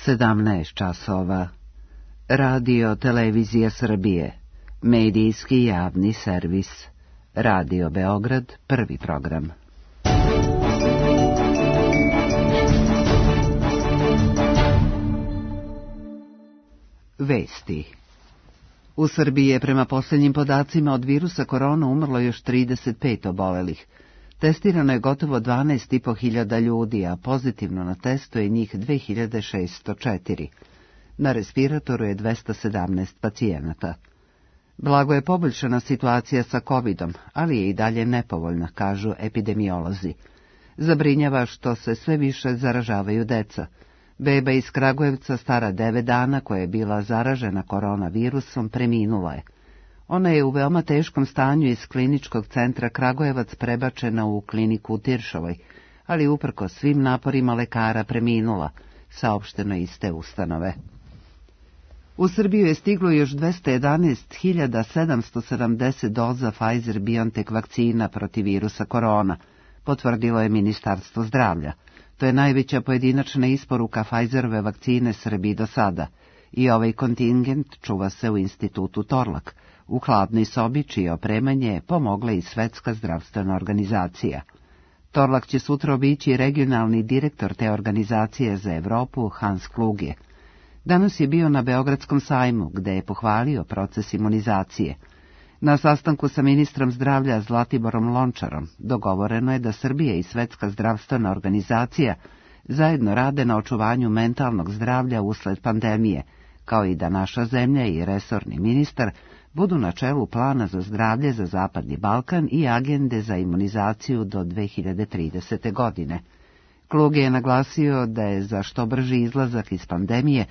17 časova. Radio Televizija Srbije. Medijski javni servis. Radio Beograd, prvi program. Vesti. U Srbiji je prema posljednjim podacima od virusa korona umrlo još 35 obolelih. Testirano je gotovo 12.500 ljudi, a pozitivno na testu je njih 2604. Na respiratoru je 217 pacijenata. Blago je poboljšana situacija sa covidom, ali je i dalje nepovoljna, kažu epidemiolozi. Zabrinjava što se sve više zaražavaju deca. Beba iz Kragujevca stara 9 dana koja je bila zaražena koronavirusom preminula je. Ona je u veoma teškom stanju iz kliničkog centra Kragujevac prebačena u kliniku u Tiršovoj, ali uprkos svim naporima lekara preminula, saopšteno iz te ustanove. U Srbiju je stiglo još 211.770 doza Pfizer-BioNTech vakcina protiv virusa korona, potvrdilo je Ministarstvo zdravlja. To je najveća pojedinačna isporuka Pfizerove vakcine Srbiji do sada i ovaj kontingent čuva se u institutu Torlak, u hladnoj sobi čije opremanje pomogla i Svetska zdravstvena organizacija. Torlak će sutra obići regionalni direktor te organizacije za Evropu Hans Kluge. Danas je bio na Beogradskom sajmu, gde je pohvalio proces imunizacije. Na sastanku sa ministrom zdravlja Zlatiborom Lončarom dogovoreno je da Srbija i Svetska zdravstvena organizacija zajedno rade na očuvanju mentalnog zdravlja usled pandemije, kao i da naša zemlja i resorni ministar budu na čelu plana za zdravlje za Zapadni Balkan i agende za imunizaciju do 2030. godine. Kluge je naglasio da je za što brži izlazak iz pandemije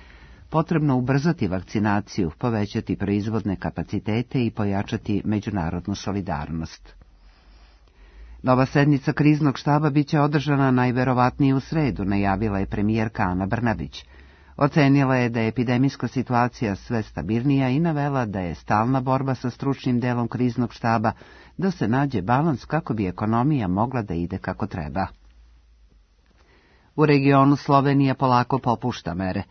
potrebno ubrzati vakcinaciju, povećati proizvodne kapacitete i pojačati međunarodnu solidarnost. Nova sednica kriznog štaba biće održana najverovatnije u sredu, najavila je premijerka Ana Brnabić. Ocenila je da je epidemijska situacija sve stabilnija i navela da je stalna borba sa stručnim delom kriznog štaba da se nađe balans kako bi ekonomija mogla da ide kako treba. U regionu Slovenija polako popušta mere.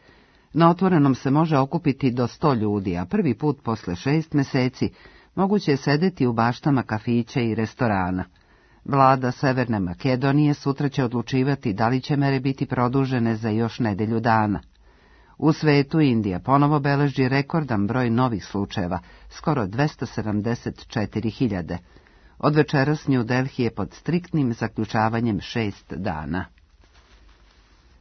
Na otvorenom se može okupiti do 100 ljudi, a prvi put posle 6 meseci moguće je sedeti u baštama kafića i restorana. Vlada Severne Makedonije sutra će odlučivati da li će mere biti produžene za još nedelju dana. U svetu Indija ponovo beleži rekordan broj novih slučajeva, skoro 274.000. Od večeras New Delhi je pod striktnim zaključavanjem 6 dana.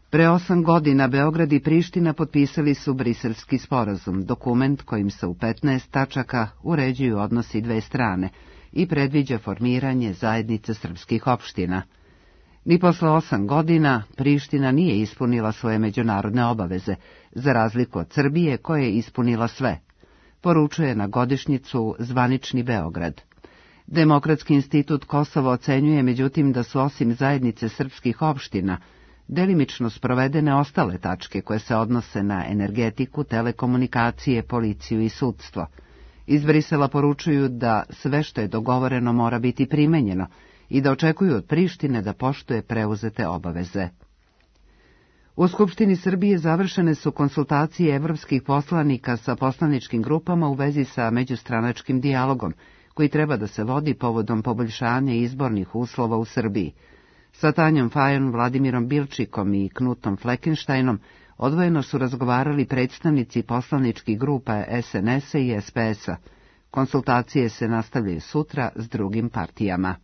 Pre 8 godina Beograd i Priština potpisali su Briselski sporazum, dokument kojim se u 15 tačaka uređuju odnosi dve strane i predviđa formiranje zajednice srpskih opština. Ni posle 8 godina Priština nije ispunila svoje međunarodne obaveze, za razliku od Srbije koja je ispunila sve, poručuje na godišnjicu zvanični Beograd. Demokratski institut Kosovo ocenjuje međutim da su osim zajednice srpskih opština delimično sprovedene ostale tačke koje se odnose na energetiku, telekomunikacije, policiju i sudstvo. Iz Brisela poručuju da sve što je dogovoreno mora biti primenjeno i da očekuju od Prištine da poštuje preuzete obaveze. U Skupštini Srbije završene su konsultacije evropskih poslanika sa poslaničkim grupama u vezi sa međustranačkim dijalogom, koji treba da se vodi povodom poboljšanja izbornih uslova u Srbiji. Sa Tanjom Fajon, Vladimirom Bilčikom i Knutom Fleckensteinom odvojeno su razgovarali predstavnici poslaničkih grupa SNS-a i SPS-a. Konsultacije se nastavljaju sutra s drugim partijama.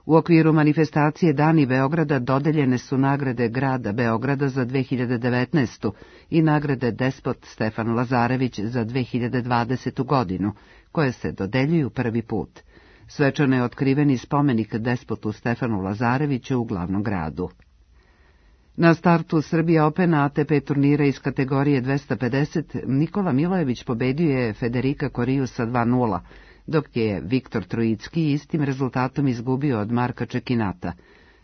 U okviru manifestacije Dani Beograda dodeljene su nagrade grada Beograda za 2019. i nagrade Despot Stefan Lazarević za 2020. godinu, koje se dodeljuju prvi put. Svečano je otkriveni spomenik despotu Stefanu Lazareviću u glavnom gradu. Na startu Srbija Open ATP turnira iz kategorije 250 Nikola Milojević pobedio je Federika Koriju sa 2:0, dok je Viktor Trojicki istim rezultatom izgubio od Marka Čekinata.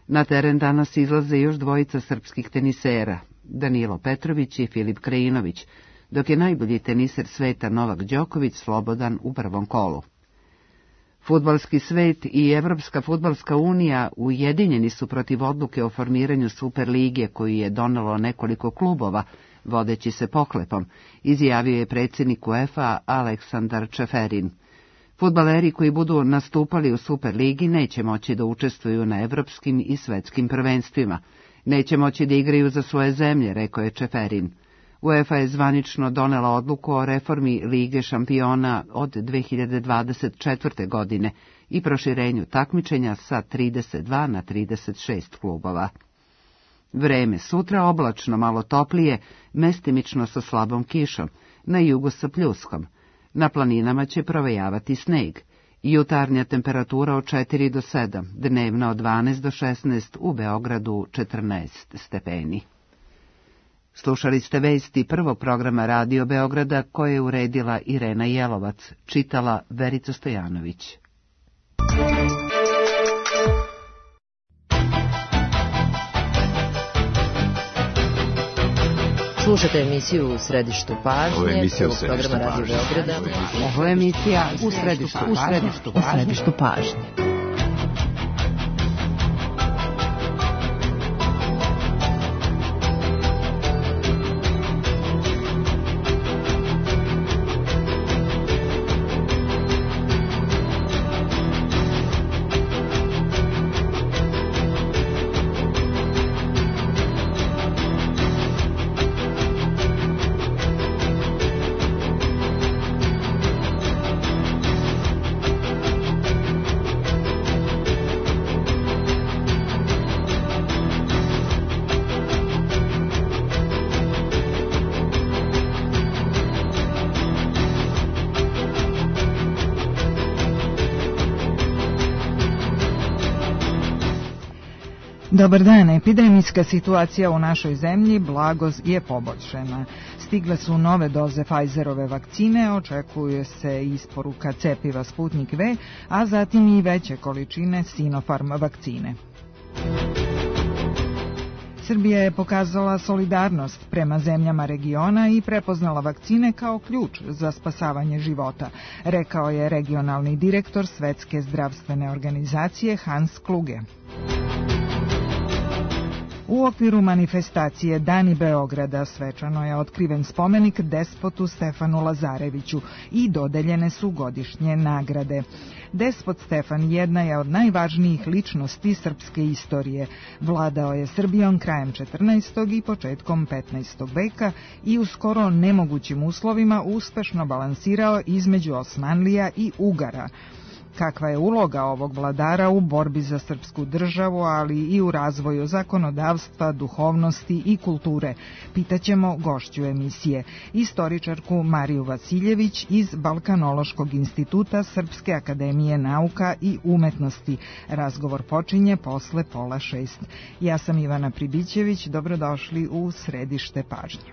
Na teren danas izlaze još dvojica srpskih tenisera, Danilo Petrović i Filip Krajinović, dok je najbolji teniser sveta Novak Đoković slobodan u prvom kolu. Fudbalski svet i Evropska fudbalska unija ujedinjeni su protiv odluke o formiranju Superlige koju je donelo nekoliko klubova, vodeći se pohlepom, izjavio je predsjednik UEFA Aleksandar Čeferin. Fudbaleri koji budu nastupali u Superligi neće moći da učestvuju na evropskim i svetskim prvenstvima. Neće moći da igraju za svoje zemlje, rekao je Čeferin. UEFA je zvanično donela odluku o reformi Lige šampiona od 2024. godine i proširenju takmičenja sa 32 na 36 klubova. Vreme sutra oblačno, malo toplije, mestimično sa slabom kišom, na jugu sa pljuskom. Na planinama će provejavati sneg. Jutarnja temperatura od 4 do 7, dnevna od 12 do 16, u Beogradu 14 stepeni. Slušali ste vesti prvog programa Radio Beograda koje je uredila Irena Jelovac, čitala Verica Stojanović. Slušate emisiju U središtu pažnje. Ovo je emisija U središtu pažnje. Ovo je emisija U središtu pažnje. Dobar dan, epidemijska situacija u našoj zemlji blago je poboljšana. Stigle su nove doze Pfizerove vakcine, očekuje se isporuka cepiva Sputnik V, a zatim i veće količine Sinopharm vakcine. Srbija je pokazala solidarnost prema zemljama regiona i prepoznala vakcine kao ključ za spasavanje života, rekao je regionalni direktor Svetske zdravstvene organizacije Hans Kluge. U okviru manifestacije Dani Beograda svečano je otkriven spomenik despotu Stefanu Lazareviću i dodeljene su godišnje nagrade. Despot Stefan jedna je od najvažnijih ličnosti srpske istorije. Vladao je Srbijom krajem 14. i početkom 15. veka i u skoro nemogućim uslovima uspešno balansirao između Osmanlija i Ugara. Kakva je uloga ovog vladara u borbi za srpsku državu, ali i u razvoju zakonodavstva, duhovnosti i kulture? Pitaćemo gošću emisije, istoričarku Mariju Vasiljević iz Balkanološkog instituta Srpske akademije nauka i umetnosti. Razgovor počinje posle 5:30. Ja sam Ivana Pribićević, dobrodošli u središte pažnje.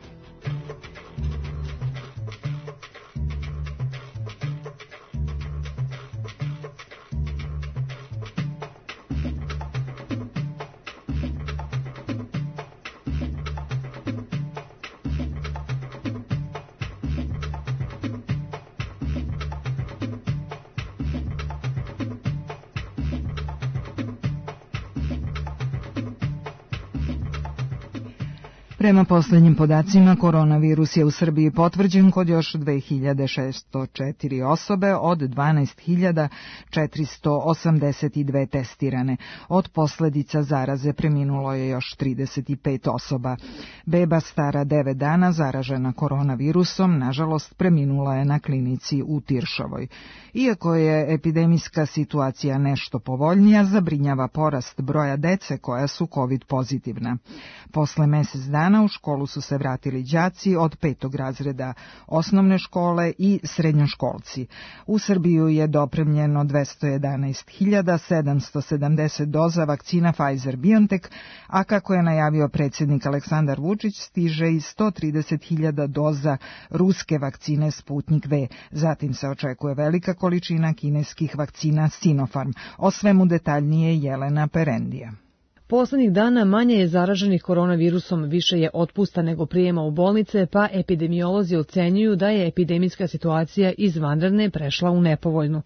Prema posljednjim podacima, koronavirus je u Srbiji potvrđen kod još 2604 osobe od 12.482 testirane. Od posljedica zaraze preminulo je još 35 osoba. Beba stara 9 dana zaražena koronavirusom, nažalost, preminula je na klinici u Tiršovoj. Iako je epidemijska situacija nešto povoljnija, zabrinjava porast broja dece koja su COVID pozitivna. Posle mjesec dana u školu su se vratili đaci od 5. razreda osnovne škole i srednjoškolci. U Srbiju je dopremljeno 211.770 doza vakcina Pfizer-BioNTech, a kako je najavio predsjednik Aleksandar Vučić, stiže i 130.000 doza ruske vakcine Sputnik V. Zatim se očekuje velika količina kineskih vakcina Sinopharm. O svemu detaljnije Jelena Perendija. Poslednjih dana manje je zaraženih koronavirusom, više je otpusta nego prijema u bolnice, pa epidemiolozi ocenjuju da je epidemijska situacija iz vanredne prešla u nepovoljnu.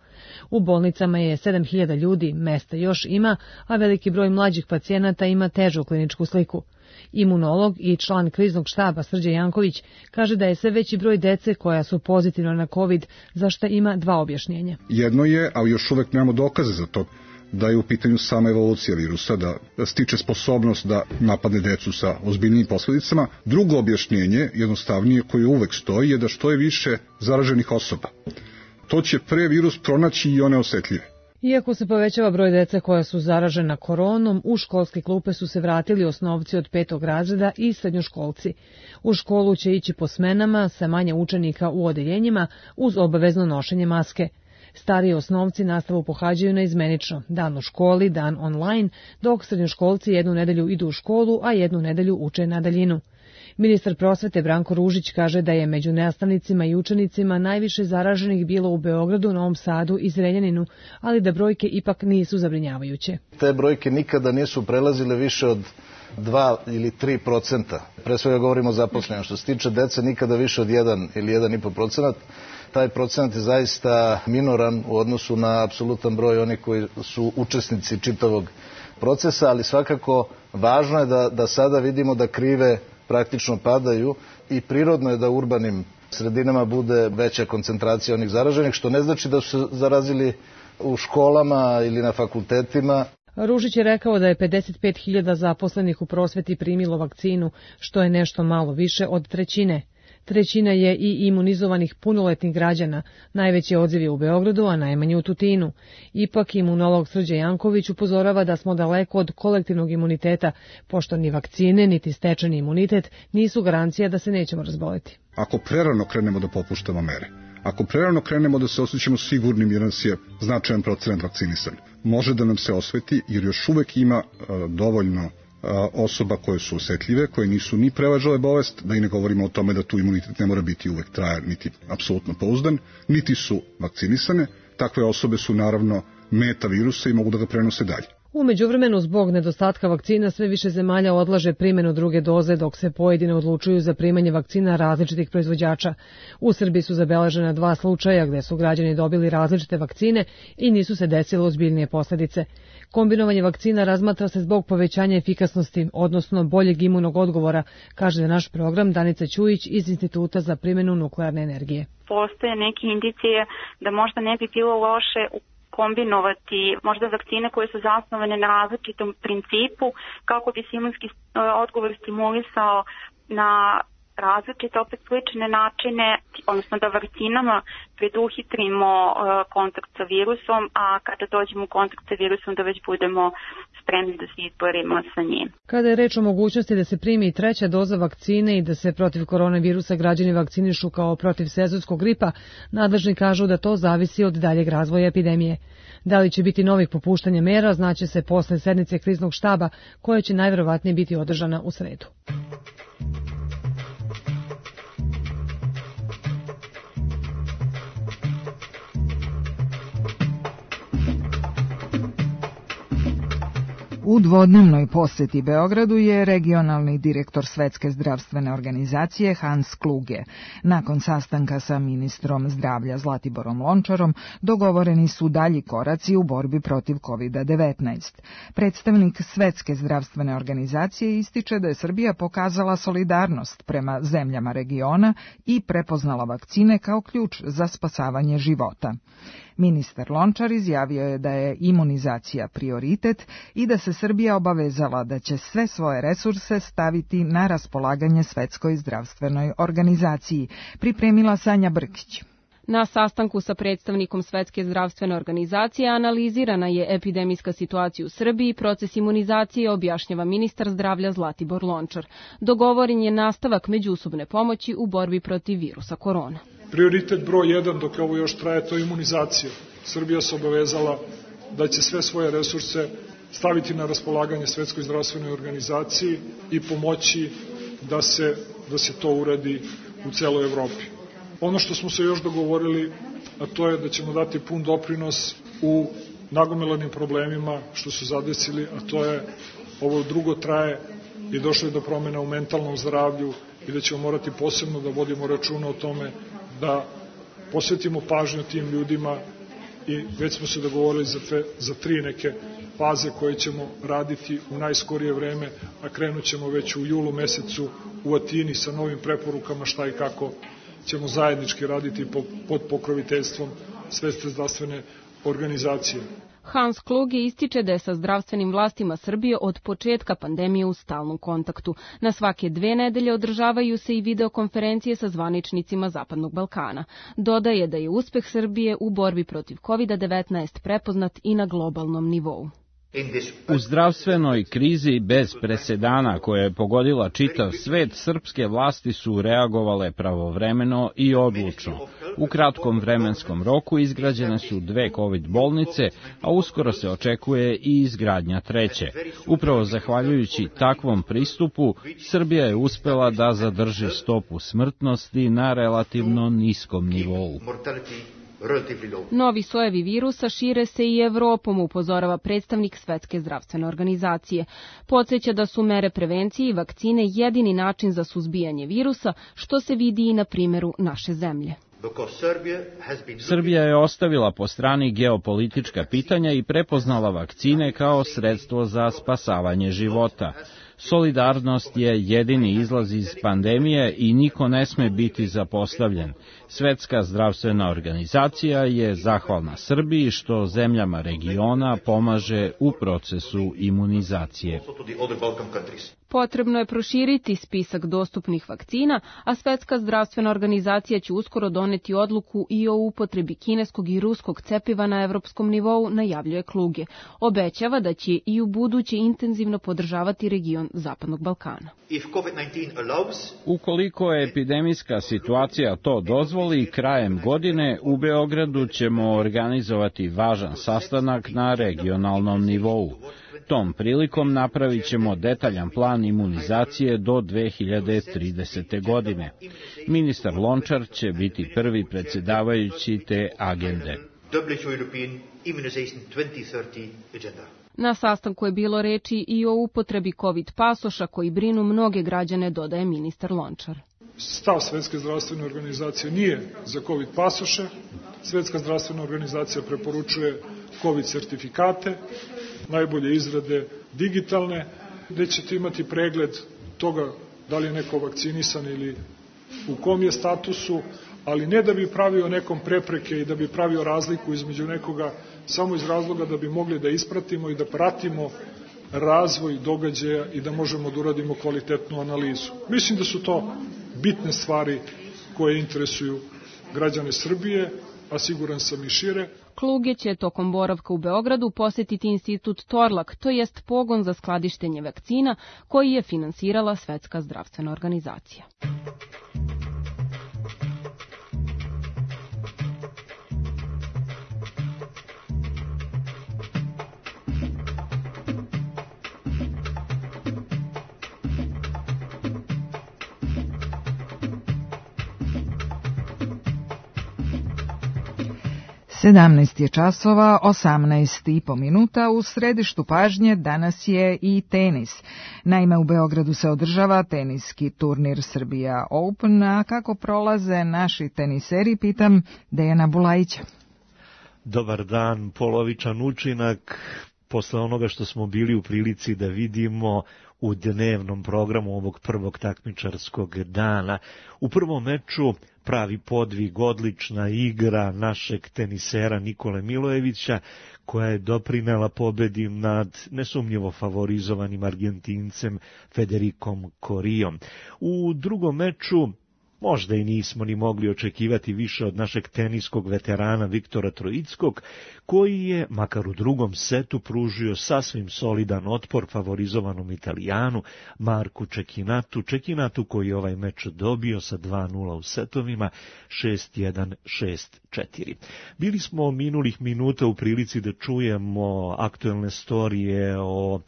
U bolnicama je 7.000 ljudi, mesta još ima, a veliki broj mlađih pacijenata ima težu kliničku sliku. Imunolog i član kriznog štaba Srđe Janković kaže da je sve veći broj dece koja su pozitivna na COVID, za šta ima dva objašnjenja. Jedno je, ali još uvek nemamo dokaze za to, da je u pitanju sama evolucija virusa, da stiče sposobnost da napadne decu sa ozbiljnim posledicama. Drugo objašnjenje, jednostavnije, koje uvek stoji, je da što je više zaraženih osoba. To će pre virus pronaći i one osetljive. Iako se povećava broj dece koja su zaražena koronom, u školske klupe su se vratili osnovci od 5. razreda i srednjoškolci. U školu će ići po smenama sa manje učenika u odeljenjima uz obavezno nošenje maske. Stariji osnovci nastavu pohađaju naizmenično, dan u školi, dan online, dok srednjoškolci jednu nedelju idu u školu, a jednu nedelju uče na daljinu. Ministar prosvete Branko Ružić kaže da je među nastavnicima i učenicima najviše zaraženih bilo u Beogradu, Novom Sadu i Zrenjaninu, ali da brojke ipak nisu zabrinjavajuće. Te brojke nikada nisu prelazile više od 2 ili 3%. Pre svega govorimo o zaposlenju. Što se tiče dece, nikada više od 1 ili 1,5%. Taj procenat je zaista minoran u odnosu na apsolutan broj onih koji su učesnici čitavog procesa, ali svakako važno je da sada vidimo da krive praktično padaju i prirodno je da u urbanim sredinama bude veća koncentracija onih zaraženih, što ne znači da su se zarazili u školama ili na fakultetima. Ružić je rekao da je 55.000 zaposlenih u prosveti primilo vakcinu, što je nešto malo više od trećine. Trećina je i imunizovanih punoletnih građana, najveći odziv je u Beogradu, a najmanje u Tutinu. Ipak imunolog Srđe Janković upozorava da smo daleko od kolektivnog imuniteta, pošto ni vakcine, niti stečeni imunitet nisu garancija da se nećemo razboleti. Ako prerano krenemo da popuštamo mere, ako prerano krenemo da se osjećamo sigurnim jer nas je značajan procenat vakcinisan, može da nam se osveti jer još uvek ima dovoljno osoba koje su osetljive, koje nisu ni prevažale bolest, da i ne govorimo o tome da tu imunitet ne mora biti uvek trajan, niti apsolutno pouzdan, niti su vakcinisane. Takve osobe su naravno meta virusa i mogu da ga prenose dalje. U međuvremenu, zbog nedostatka vakcina, sve više zemalja odlaže primjenu druge doze, dok se pojedine odlučuju za primanje vakcina različitih proizvođača. U Srbiji su zabeležena 2 slučaja gde su građani dobili različite vakcine i nisu se desile ozbiljnije posledice. Kombinovanje vakcina razmatra se zbog povećanja efikasnosti, odnosno boljeg imunog odgovora, kaže naš program Danica Ćujić iz Instituta za primjenu nuklearne energije. Postoje neke indicije da možda ne bi bilo loše kombinovati možda vakcine koje su zasnovane na različitom principu kako bi se imunski odgovor stimulisao na različite, opet slične načine, odnosno da vakcinama preduhitrimo kontakt sa virusom, a kada dođemo u kontakt sa virusom da već budemo spremni da se izborimo sa njim. Kada je reč o mogućnosti da se primi i 3. doza vakcine i da se protiv koronavirusa građani vakcinišu kao protiv sezonskog gripa, nadležni kažu da to zavisi od daljeg razvoja epidemije. Da li će biti novih popuštanja mera, znaće se posle sednice kriznog štaba, koja će najverovatnije biti održana u sredu. U dvodnevnoj poseti Beogradu je regionalni direktor Svetske zdravstvene organizacije Hans Kluge. Nakon sastanka sa ministrom zdravlja Zlatiborom Lončarom dogovoreni su dalji koraci u borbi protiv COVID-19. Predstavnik Svetske zdravstvene organizacije ističe da je Srbija pokazala solidarnost prema zemljama regiona i prepoznala vakcine kao ključ za spasavanje života. Ministar Lončar izjavio je da je imunizacija prioritet i da se Srbija obavezala da će sve svoje resurse staviti na raspolaganje Svetskoj zdravstvenoj organizaciji, pripremila Sanja Brkić. Na sastanku sa predstavnikom Svetske zdravstvene organizacije analizirana je epidemijska situacija u Srbiji i proces imunizacije, objašnjava ministar zdravlja Zlatibor Lončar. Dogovoren je nastavak međusobne pomoći u borbi protiv virusa korona. Prioritet broj 1 dok ovo još traje, to je imunizacija. Srbija se obavezala da će sve svoje resurse staviti na raspolaganje Svetskoj zdravstvenoj organizaciji i pomoći da se to uradi u celoj Evropi. Ono što smo se još dogovorili, a to je da ćemo dati pun doprinos u nagomilanim problemima što su zadesili, a to je ovo drugo traje i došlo je do promjena u mentalnom zdravlju i da ćemo morati posebno da vodimo računa o tome da posvetimo pažnju tim ljudima i već smo se dogovorili za 3 neke faze koje ćemo raditi u najskorije vreme, a krenut ćemo već u julu mesecu u Atini sa novim preporukama šta i kako ćemo zajednički raditi pod pokroviteljstvom Svetske zdravstvene organizacije. Hans Kluge ističe da je sa zdravstvenim vlastima Srbije od početka pandemije u stalnom kontaktu. Na svake 2 nedelje održavaju se i videokonferencije sa zvaničnicima Zapadnog Balkana. Dodaje da je uspeh Srbije u borbi protiv COVID-19 prepoznat i na globalnom nivou. U zdravstvenoj krizi bez presedana koja je pogodila čitav svet, srpske vlasti su reagovale pravovremeno i odlučno. U kratkom vremenskom roku izgrađene su 2 COVID bolnice, a uskoro se očekuje i izgradnja 3. Upravo zahvaljujući takvom pristupu, Srbija je uspela da zadrži stopu smrtnosti na relativno niskom nivou. Novi sojevi virusa šire se i Evropom, upozorava predstavnik Svetske zdravstvene organizacije. Podsjeća da su mere prevencije i vakcine jedini način za suzbijanje virusa, što se vidi i na primjeru naše zemlje. Srbija je ostavila po strani geopolitička pitanja i prepoznala vakcine kao sredstvo za spasavanje života. Solidarnost je jedini izlaz iz pandemije i niko ne sme biti zapostavljen. Svetska zdravstvena organizacija je zahvalna Srbiji što zemljama regiona pomaže u procesu imunizacije. Potrebno je proširiti spisak dostupnih vakcina, a Svetska zdravstvena organizacija će uskoro doneti odluku i o upotrebi kineskog i ruskog cepiva na evropskom nivou, najavljuje Kluge. Obećava da će i u buduće intenzivno podržavati region Zapadnog Balkana. Ukoliko epidemijska situacija to dozvoli, krajem godine u Beogradu ćemo organizovati važan sastanak na regionalnom nivou. Tom prilikom napravit ćemo detaljan plan imunizacije do 2030. godine. Ministar Lončar će biti prvi predsjedavajući te agende. Na sastanku je bilo reči i o upotrebi COVID pasoša koji brinu mnoge građane, dodaje ministar Lončar. Stav Svetske zdravstvene organizacije nije za COVID pasoše. Svetska zdravstvena organizacija preporučuje COVID sertifikate, najbolje izrade digitalne, gde ćete imati pregled toga da li je neko vakcinisan ili u kom je statusu, ali ne da bi pravio nekom prepreke i da bi pravio razliku između nekoga, samo iz razloga da bi mogli da ispratimo i da pratimo razvoj događaja i da možemo da uradimo kvalitetnu analizu. Mislim da su to bitne stvari koje interesuju građane Srbije, a siguran sam i šire. Kluge će tokom boravka u Beogradu posjetiti institut Torlak, to jest pogon za skladištenje vakcina koji je finansirala Svetska zdravstvena organizacija. Sedamnaest je časova, 18,5 minuta. U središtu pažnje danas je i tenis. Naime, u Beogradu se održava teniski turnir Srbija Open, a kako prolaze naši teniseri, pitam Dejana Bulajića. Dobar dan, polovičan učinak posle onoga što smo bili u prilici da vidimo u dnevnom programu ovog prvog takmičarskog dana. U prvom meču pravi podvig, odlična igra našeg tenisera Nikole Milojevića, koja je doprinela pobedi nad nesumnjivo favorizovanim Argentincem Federikom Corijom. U drugom meču možda i nismo ni mogli očekivati više od našeg teniskog veterana Viktora Trojickog, koji je, makar u drugom setu, pružio sasvim solidan otpor favorizovanom Italijanu Marku Čekinatu koji je ovaj meč dobio sa 2:0 u setovima, 6:1, 6:4. Bili smo minulih minuta u prilici da čujemo aktuelne storije o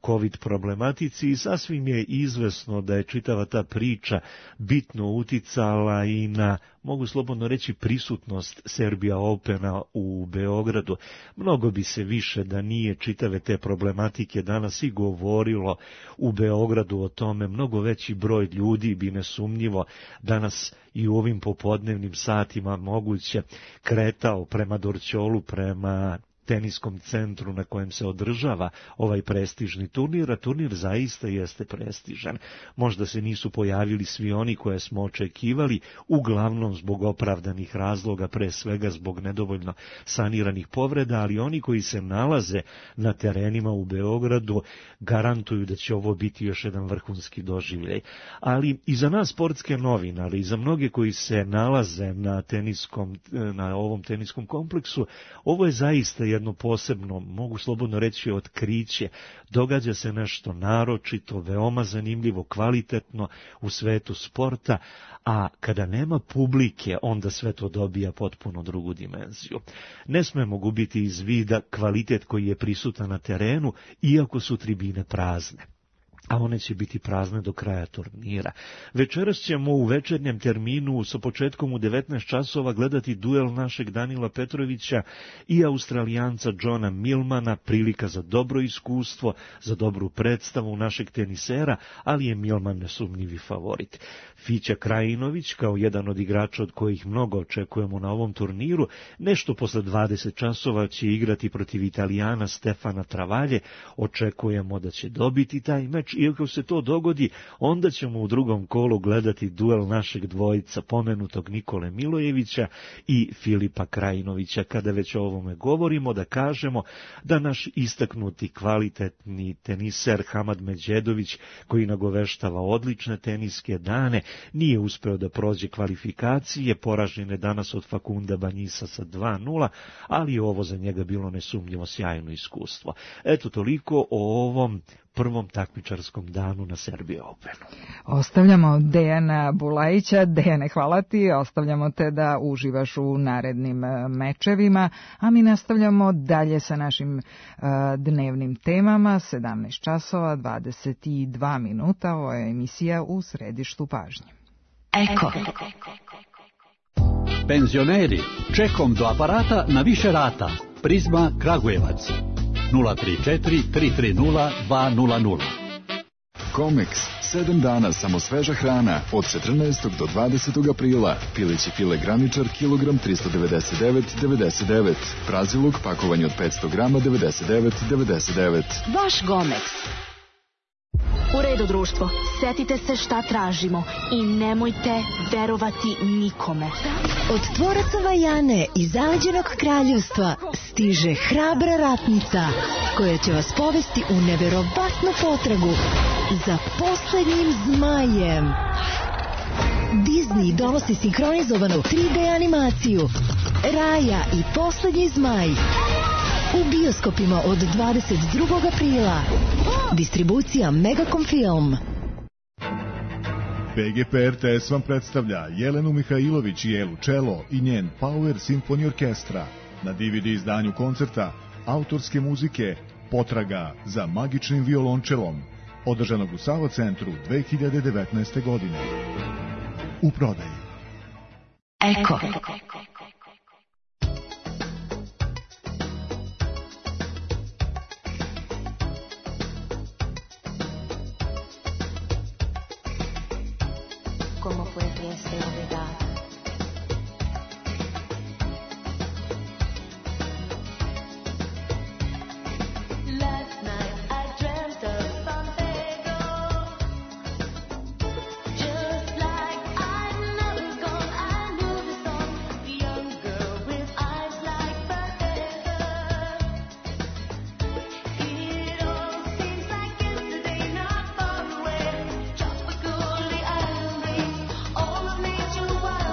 COVID problematici i sasvim je izvesno da je čitava ta priča bitno uticala i na, mogu slobodno reći, prisutnost Serbia Opena u Beogradu. Mnogo bi se više da nije čitave te problematike danas i govorilo u Beogradu o tome, mnogo veći broj ljudi bi nesumnjivo danas i u ovim popodnevnim satima moguće kretao prema Dorćolu, prema teniskom centru na kojem se održava ovaj prestižni turnir, a turnir zaista jeste prestižan. Možda se nisu pojavili svi oni koje smo očekivali, uglavnom zbog opravdanih razloga, pre svega zbog nedovoljno saniranih povreda, ali oni koji se nalaze na terenima u Beogradu garantuju da će ovo biti još jedan vrhunski doživljaj. Ali i za nas sportske novinare, i za mnoge koji se nalaze na ovom teniskom kompleksu, ovo je zaista jedno posebno, mogu slobodno reći, otkriće. Događa se nešto naročito, veoma zanimljivo, kvalitetno u svetu sporta, a kada nema publike, onda sve to dobija potpuno drugu dimenziju. Ne smemo gubiti iz vida kvalitet koji je prisutan na terenu, iako su tribine prazne. A one će biti prazne do kraja turnira. Večeras ćemo u večernjem terminu sa početkom u 19 časova gledati duel našeg Danila Petrovića i Australijanca Johna Millmana, prilika za dobro iskustvo, za dobru predstavu našeg tenisera, ali je Millman nesumnjivi favorit. Fića Krajinović, kao jedan od igrača od kojih mnogo očekujemo na ovom turniru, nešto posle 20 časova će igrati protiv Italijana Stefana Travaglie. Očekujemo da će dobiti taj meč, i ako se to dogodi, onda ćemo u drugom kolu gledati duel našeg dvojica, pomenutog Nikole Milojevića i Filipa Krajinovića. Kada već o ovome govorimo, da kažemo da naš istaknuti kvalitetni teniser Hamad Međedović, koji nagoveštava odlične teniske dane, nije uspeo da prođe kvalifikacije, poražen je danas od Fakunda Banjisa sa 2:0, ali je ovo za njega bilo nesumnjivo sjajno iskustvo. Eto, toliko o ovom prvom takmičarskom danu na Serbia Openu. Ostavljamo Dejana Bulajića. Dejane, hvala ti. Ostavljamo te da uživaš u narednim mečevima, a mi nastavljamo dalje sa našim dnevnim temama. 17 časova, 22 minuta. Ovo je emisija U središtu pažnje. Eko. Penzioneri, čekom do aparata na više rata. Prizma Kragujevac. 034 330 200. Comex, 7 dana samo sveža hrana od 14. do 20. aprila. Pileći file graničar, kilogram 399,99. Praziluk, pakovanje od 500 grama, 99,99. Vaš Comex. U redu, društvo, setite se šta tražimo i nemojte verovati nikome. Od tvoraca Vajane iz zaleđenog kraljevstva stiže hrabra ratnica koja će vas povesti u neverovatnu potragu za poslednjim zmajem. Disney donosi sinhronizovanu 3D animaciju Raja i poslednji zmaj. U bioskopima od 22. aprila. Distribucija Megacom Film. PGP RTS vam predstavlja Jelenu Mihajlović i Elu Čelo i njen Power Symphony Orkestra. Na DVD izdanju koncerta autorske muzike Potraga za magičnim violončelom, održanog u Sava centru 2019. godine. U prodaji. Eko. ¿Cómo fue que ese olvidar? Last night I dreamt of Pompeo, just like I know it's gone. I knew the song, the young girl with eyes like forever. It all seems like yesterday, not far away. Tropical, the island breeze, all of nature wild.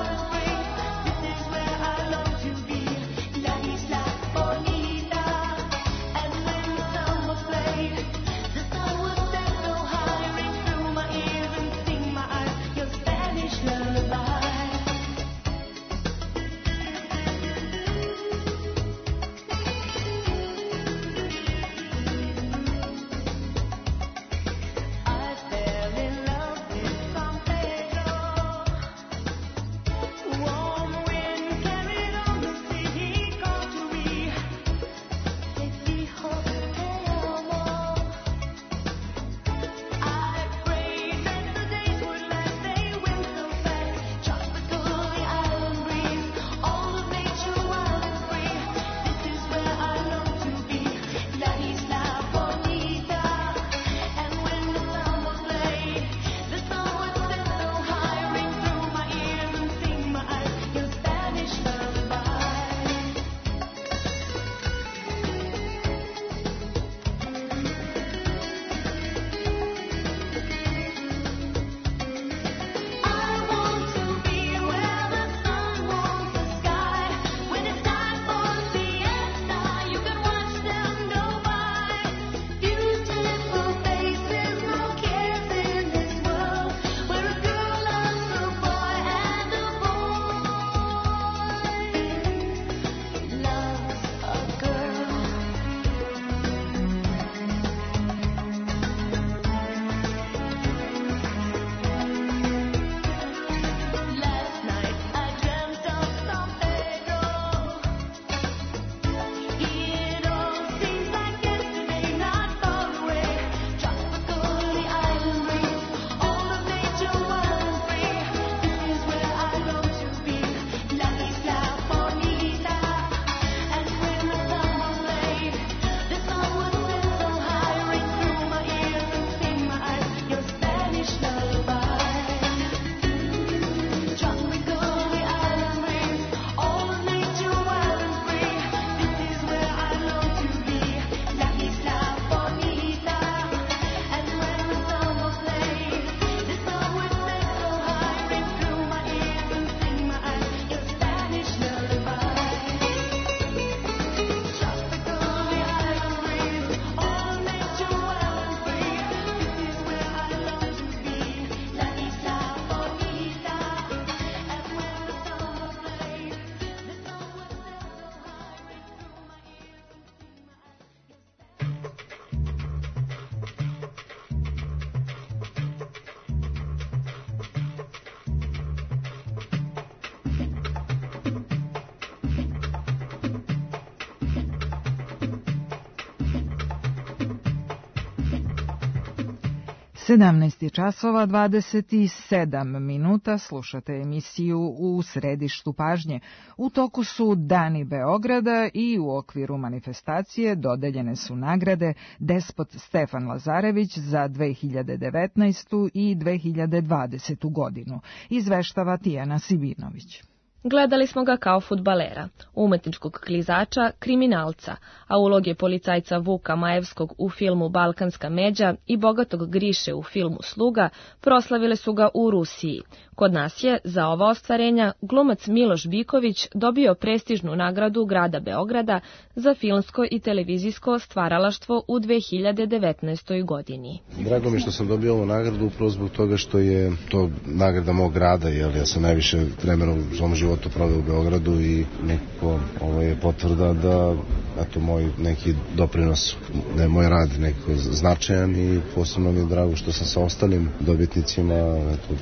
17 časova 27 minuta, slušate emisiju U središtu pažnje. U toku su Dani Beograda i u okviru manifestacije dodeljene su nagrade Despot Stefan Lazarević za 2019. i 2020. godinu, izveštava Tijana Sibinović. Gledali smo ga kao fudbalera, umetničkog klizača, kriminalca, a uloge policajca Vuka Majevskog u filmu Balkanska međa i bogatog Griše u filmu Sluga proslavile su ga u Rusiji. Kod nas je, za ova ostvarenja, glumac Miloš Biković dobio prestižnu nagradu grada Beograda za filmsko i televizijsko stvaralaštvo u 2019. godini. Drago mi je što sam dobio ovu nagradu upravo zbog toga što je to nagrada mog grada, jer ja sam najviše vremena u svom životu proveo u Beogradu i nekako ovo je potvrda da eto, moj neki doprinos, da je moj rad nekako značajan i posebno mi je drago što sam sa ostalim dobitnicima, eto,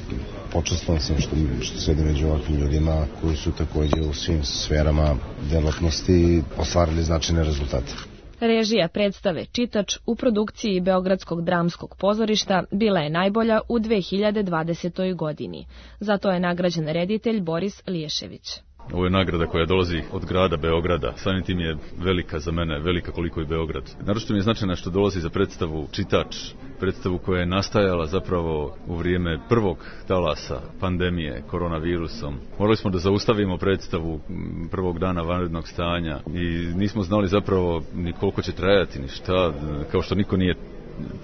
počastvovan sam što sedim među ovakvim ljudima koji su takođe u svim sferama delatnosti ostvarili značajne rezultate. Režija predstave Čitač u produkciji Beogradskog dramskog pozorišta bila je najbolja u 2020. godini. Zato je nagrađen reditelj Boris Liješević. Ovo je nagrada koja dolazi od grada Beograda. Samim tim je velika za mene, velika koliko je Beograd. Naročito mi je značajno što dolazi za predstavu Čitač, predstavu koja je nastajala zapravo u vrijeme prvog talasa pandemije koronavirusom. Morali smo da zaustavimo predstavu prvog dana vanrednog stanja i nismo znali zapravo ni koliko će trajati, ni šta, kao što niko nije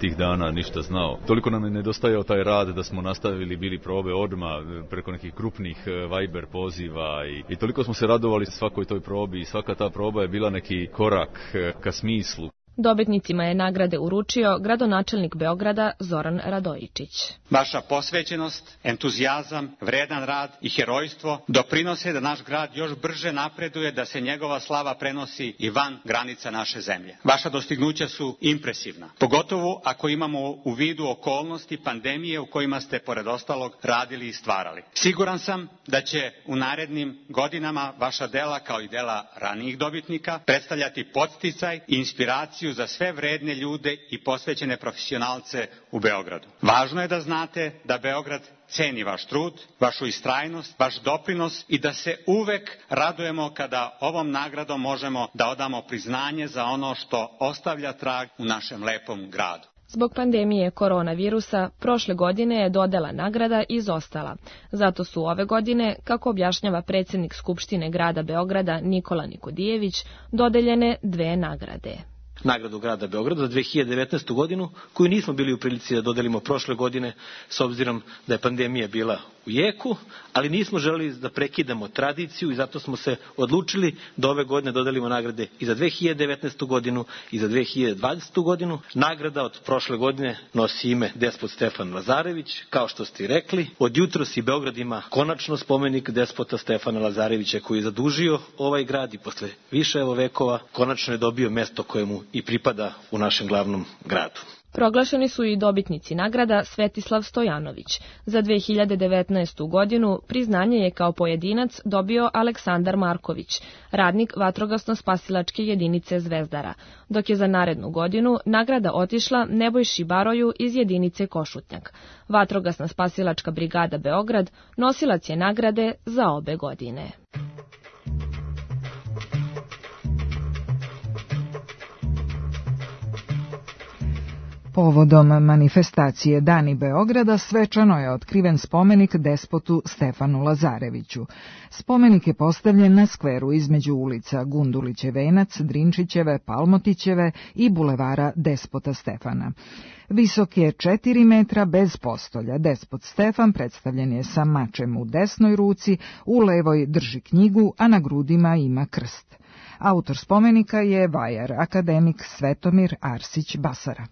tih dana ništa znao. Toliko nam je nedostajao taj rad da smo nastavili, bili probe odmah preko nekih krupnih Viber poziva i toliko smo se radovali svakoj toj probi i svaka ta proba je bila neki korak ka smislu. Dobitnicima je nagrade uručio gradonačelnik Beograda Zoran Radojičić. Vaša posvećenost, entuzijazam, vredan rad i herojstvo doprinose da naš grad još brže napreduje, da se njegova slava prenosi i van granica naše zemlje. Vaša dostignuća su impresivna, pogotovo ako imamo u vidu okolnosti pandemije u kojima ste, pored ostalog, radili i stvarali. Siguran sam da će u narednim godinama vaša dela, kao i dela ranijih dobitnika, predstavljati podsticaj i inspiraciju za sve vredne ljude i posvećene profesionalce u Beogradu. Važno je da znate da Beograd ceni vaš trud, vašu istrajnost, vaš doprinos i da se uvek radujemo kada ovom nagradom možemo da odamo priznanje za ono što ostavlja trag u našem lepom gradu. Zbog pandemije koronavirusa, prošle godine je dodela nagrada izostala. Zato su ove godine, kako objašnjava predsjednik Skupštine grada Beograda Nikola Nikodijević, dodeljene 2 nagrade. Nagradu grada Beograda za 2019. godinu, koju nismo bili u prilici da dodelimo prošle godine, s obzirom da je pandemija bila u jeku, ali nismo želeli da prekidamo tradiciju i zato smo se odlučili da ove godine dodelimo nagrade i za 2019. godinu i za 2020. godinu. Nagrada od prošle godine nosi ime Despot Stefan Lazarević, kao što ste i rekli. Od jutros i Beograd ima konačno spomenik Despota Stefana Lazarevića koji je zadužio ovaj grad i posle više vekova konačno je dobio mesto koje mu i pripada u našem glavnom gradu. Proglašeni su i dobitnici nagrada Svetislav Stojanović. Za 2019. godinu priznanje je kao pojedinac dobio Aleksandar Marković, radnik vatrogasno-spasilačke jedinice Zvezdara, dok je za narednu godinu nagrada otišla Nebojši Baroju iz jedinice Košutnjak. Vatrogasna spasilačka brigada Beograd nosilac je nagrade za obe godine. Povodom manifestacije Dani Beograda svečano je otkriven spomenik despotu Stefanu Lazareviću. Spomenik je postavljen na skveru između ulica Gundulićev venac, Drinčićeve, Palmotićeve i bulevara Despota Stefana. Visok je 4 metra bez postolja. Despot Stefan predstavljen je sa mačem u desnoj ruci, u levoj drži knjigu, a na grudima ima krst. Autor spomenika je vajar, akademik Svetomir Arsić Basara.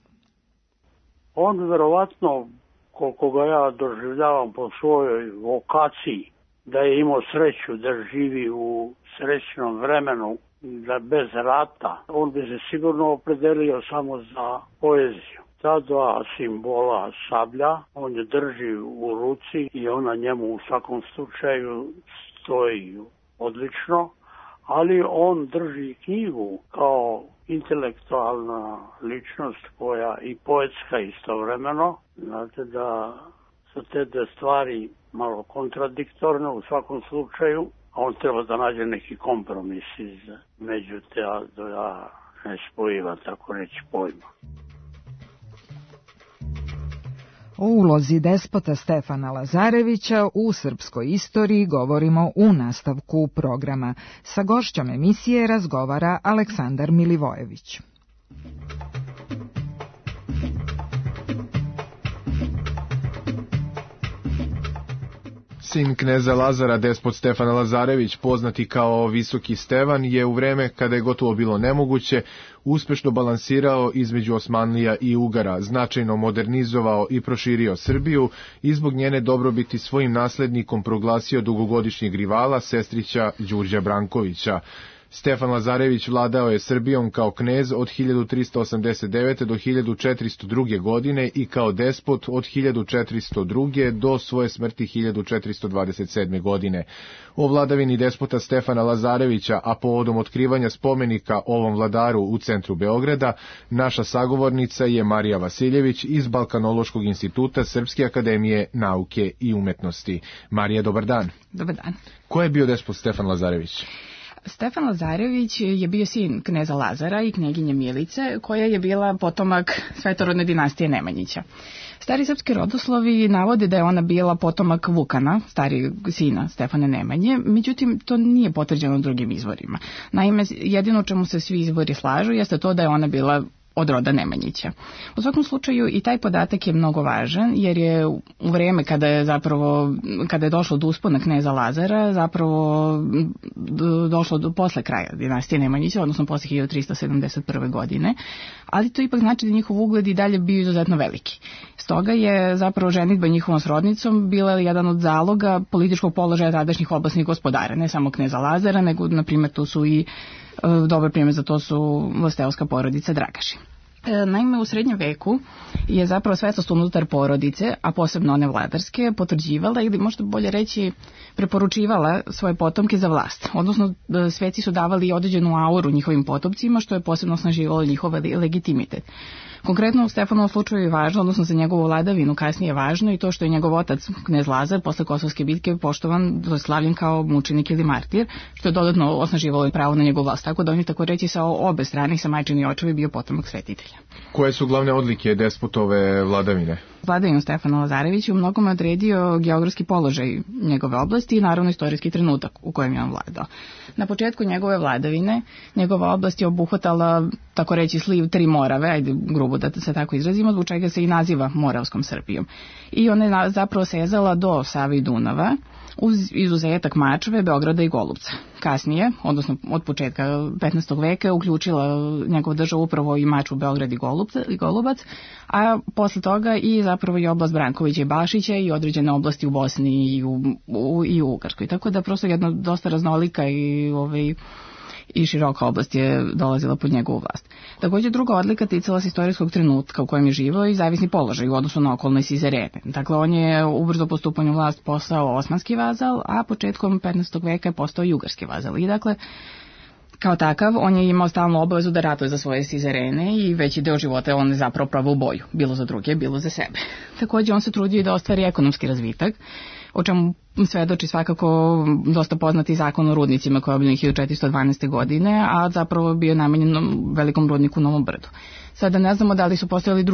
On verovatno, koliko ga ja doživljavam po svojoj vokaciji, da je imao sreću da živi u srećnom vremenu, da bez rata, on bi se sigurno opredelio samo za poeziju. Ta 2 simbola sablja, on je drži u ruci i ona njemu u svakom slučaju stoji odlično, ali on drži knjigu kao intelektualna ličnost koja i poetska istovremeno. Znate da su te dve stvari malo kontradiktorne u svakom slučaju, a on treba da nađe neki kompromis među te dva nespojiva, tako reći, pojma. O ulozi despota Stefana Lazarevića u srpskoj istoriji govorimo u nastavku programa. Sa gošćom emisije razgovara Aleksandar Milivojević. Sin kneza Lazara, despot Stefan Lazarević, poznati kao Visoki Stevan, je u vreme kada je gotovo bilo nemoguće uspešno balansirao između Osmanlija i Ugara, značajno modernizovao i proširio Srbiju i zbog njene dobrobiti svojim naslednikom proglasio dugogodišnjeg rivala, sestrića Đurđa Brankovića. Stefan Lazarević vladao je Srbijom kao knez od 1389. do 1402. godine i kao despot od 1402. do svoje smrti 1427. godine. O vladavini despota Stefana Lazarevića, a povodom otkrivanja spomenika ovom vladaru u centru Beograda, naša sagovornica je Marija Vasiljević iz Balkanološkog instituta Srpske akademije nauke i umetnosti. Marija, dobar dan. Dobar dan. Ko je bio despot Stefan Lazarević? Stefan Lazarević je bio sin kneza Lazara i knjeginje Milice, koja je bila potomak svetorodne dinastije Nemanjića. Stari srpski rodoslovi navode da je ona bila potomak Vukana, starijeg sina Stefane Nemanje, međutim to nije potvrđeno drugim izvorima. Naime, jedino čemu se svi izvori slažu jeste to da je ona bila od roda Nemanjića. U svakom slučaju i taj podatak je mnogo važan, jer je u vreme kada je došlo do uspona kneza Lazara zapravo došlo do posle kraja dinastije Nemanjića, odnosno posle 1371. godine, ali to ipak znači da njihov ugled i dalje bio izuzetno veliki. Stoga je zapravo ženidba njihovom srodnicom bila jedan od zaloga političkog položaja tadašnjih oblasnih gospodara, ne samo kneza Lazara, nego na primjer tu su i dobar primjer za to su vlasteoska porodica Dragaši. Naime, u srednjem veku je zapravo svetost unutar porodice, a posebno one vladarske, potvrđivala ili možda bolje reći preporučivala svoje potomke za vlast. Odnosno, sveci su davali određenu auru njihovim potomcima, što je posebno osnaživalo njihov legitimitet. Konkretno u Stefanovom slučaju je važno, odnosno za njegovu vladavinu kasnije je važno i to što je njegov otac, knez Lazar, posle Kosovske bitke poštovan, slavljen kao mučenik ili martir, što je dodatno osnaživalo pravo na njegovu vlast. Tako da on je tako reći sa obe strane, sa majčini i očevi, bio potomak svetitelja. Koje su glavne odlike despotove vladavine? Vladavinu Stefana Lazarevića u mnogome odredio geografski položaj njegove oblasti i naravno istorijski trenutak u kojem je on vladao. Na početku njegove vladavine, njegova oblast je obuhvatala, tako reći, sliv tri Morave, ajde grubo da se tako izrazimo, zbog čega se i naziva Moravskom Srbijom. I ona je zapravo sezala do Save i Dunava, uz izuzetak Mačve, Beograda i Golubca. Kasnije, odnosno od početka 15. veka, uključila njegova država upravo i Mačvu, Beograd i Golubac, a posle toga i zapravo i oblast Brankovića i Bašića i određene oblasti u Bosni i u Ugarskoj. Tako da prosto jedna dosta raznolika i široka oblast je dolazila pod njegovu vlast. Također druga odlika ticala se istorijskog trenutka u kojem je živao i zavisni položaj u odnosu na okolne sizerene. Dakle, on je ubrzo po stupanju vlast postao osmanski vazal, a početkom 15. veka je postao i ugarski vazal. I dakle, kao takav, on je imao stalnu obavezu da ratuje za svoje sizerene i veći deo života on je zapravo pravio u boju, bilo za druge, bilo za sebe. Također, on se trudio i da ostvari ekonomski razvitak, o čemu svedoči svakako dosta poznati zakon o rudnicima koji je obiljen 1412. godine, a zapravo bio namenjen velikom rudniku u Novom Brdu. Sada ne znamo da li su postojali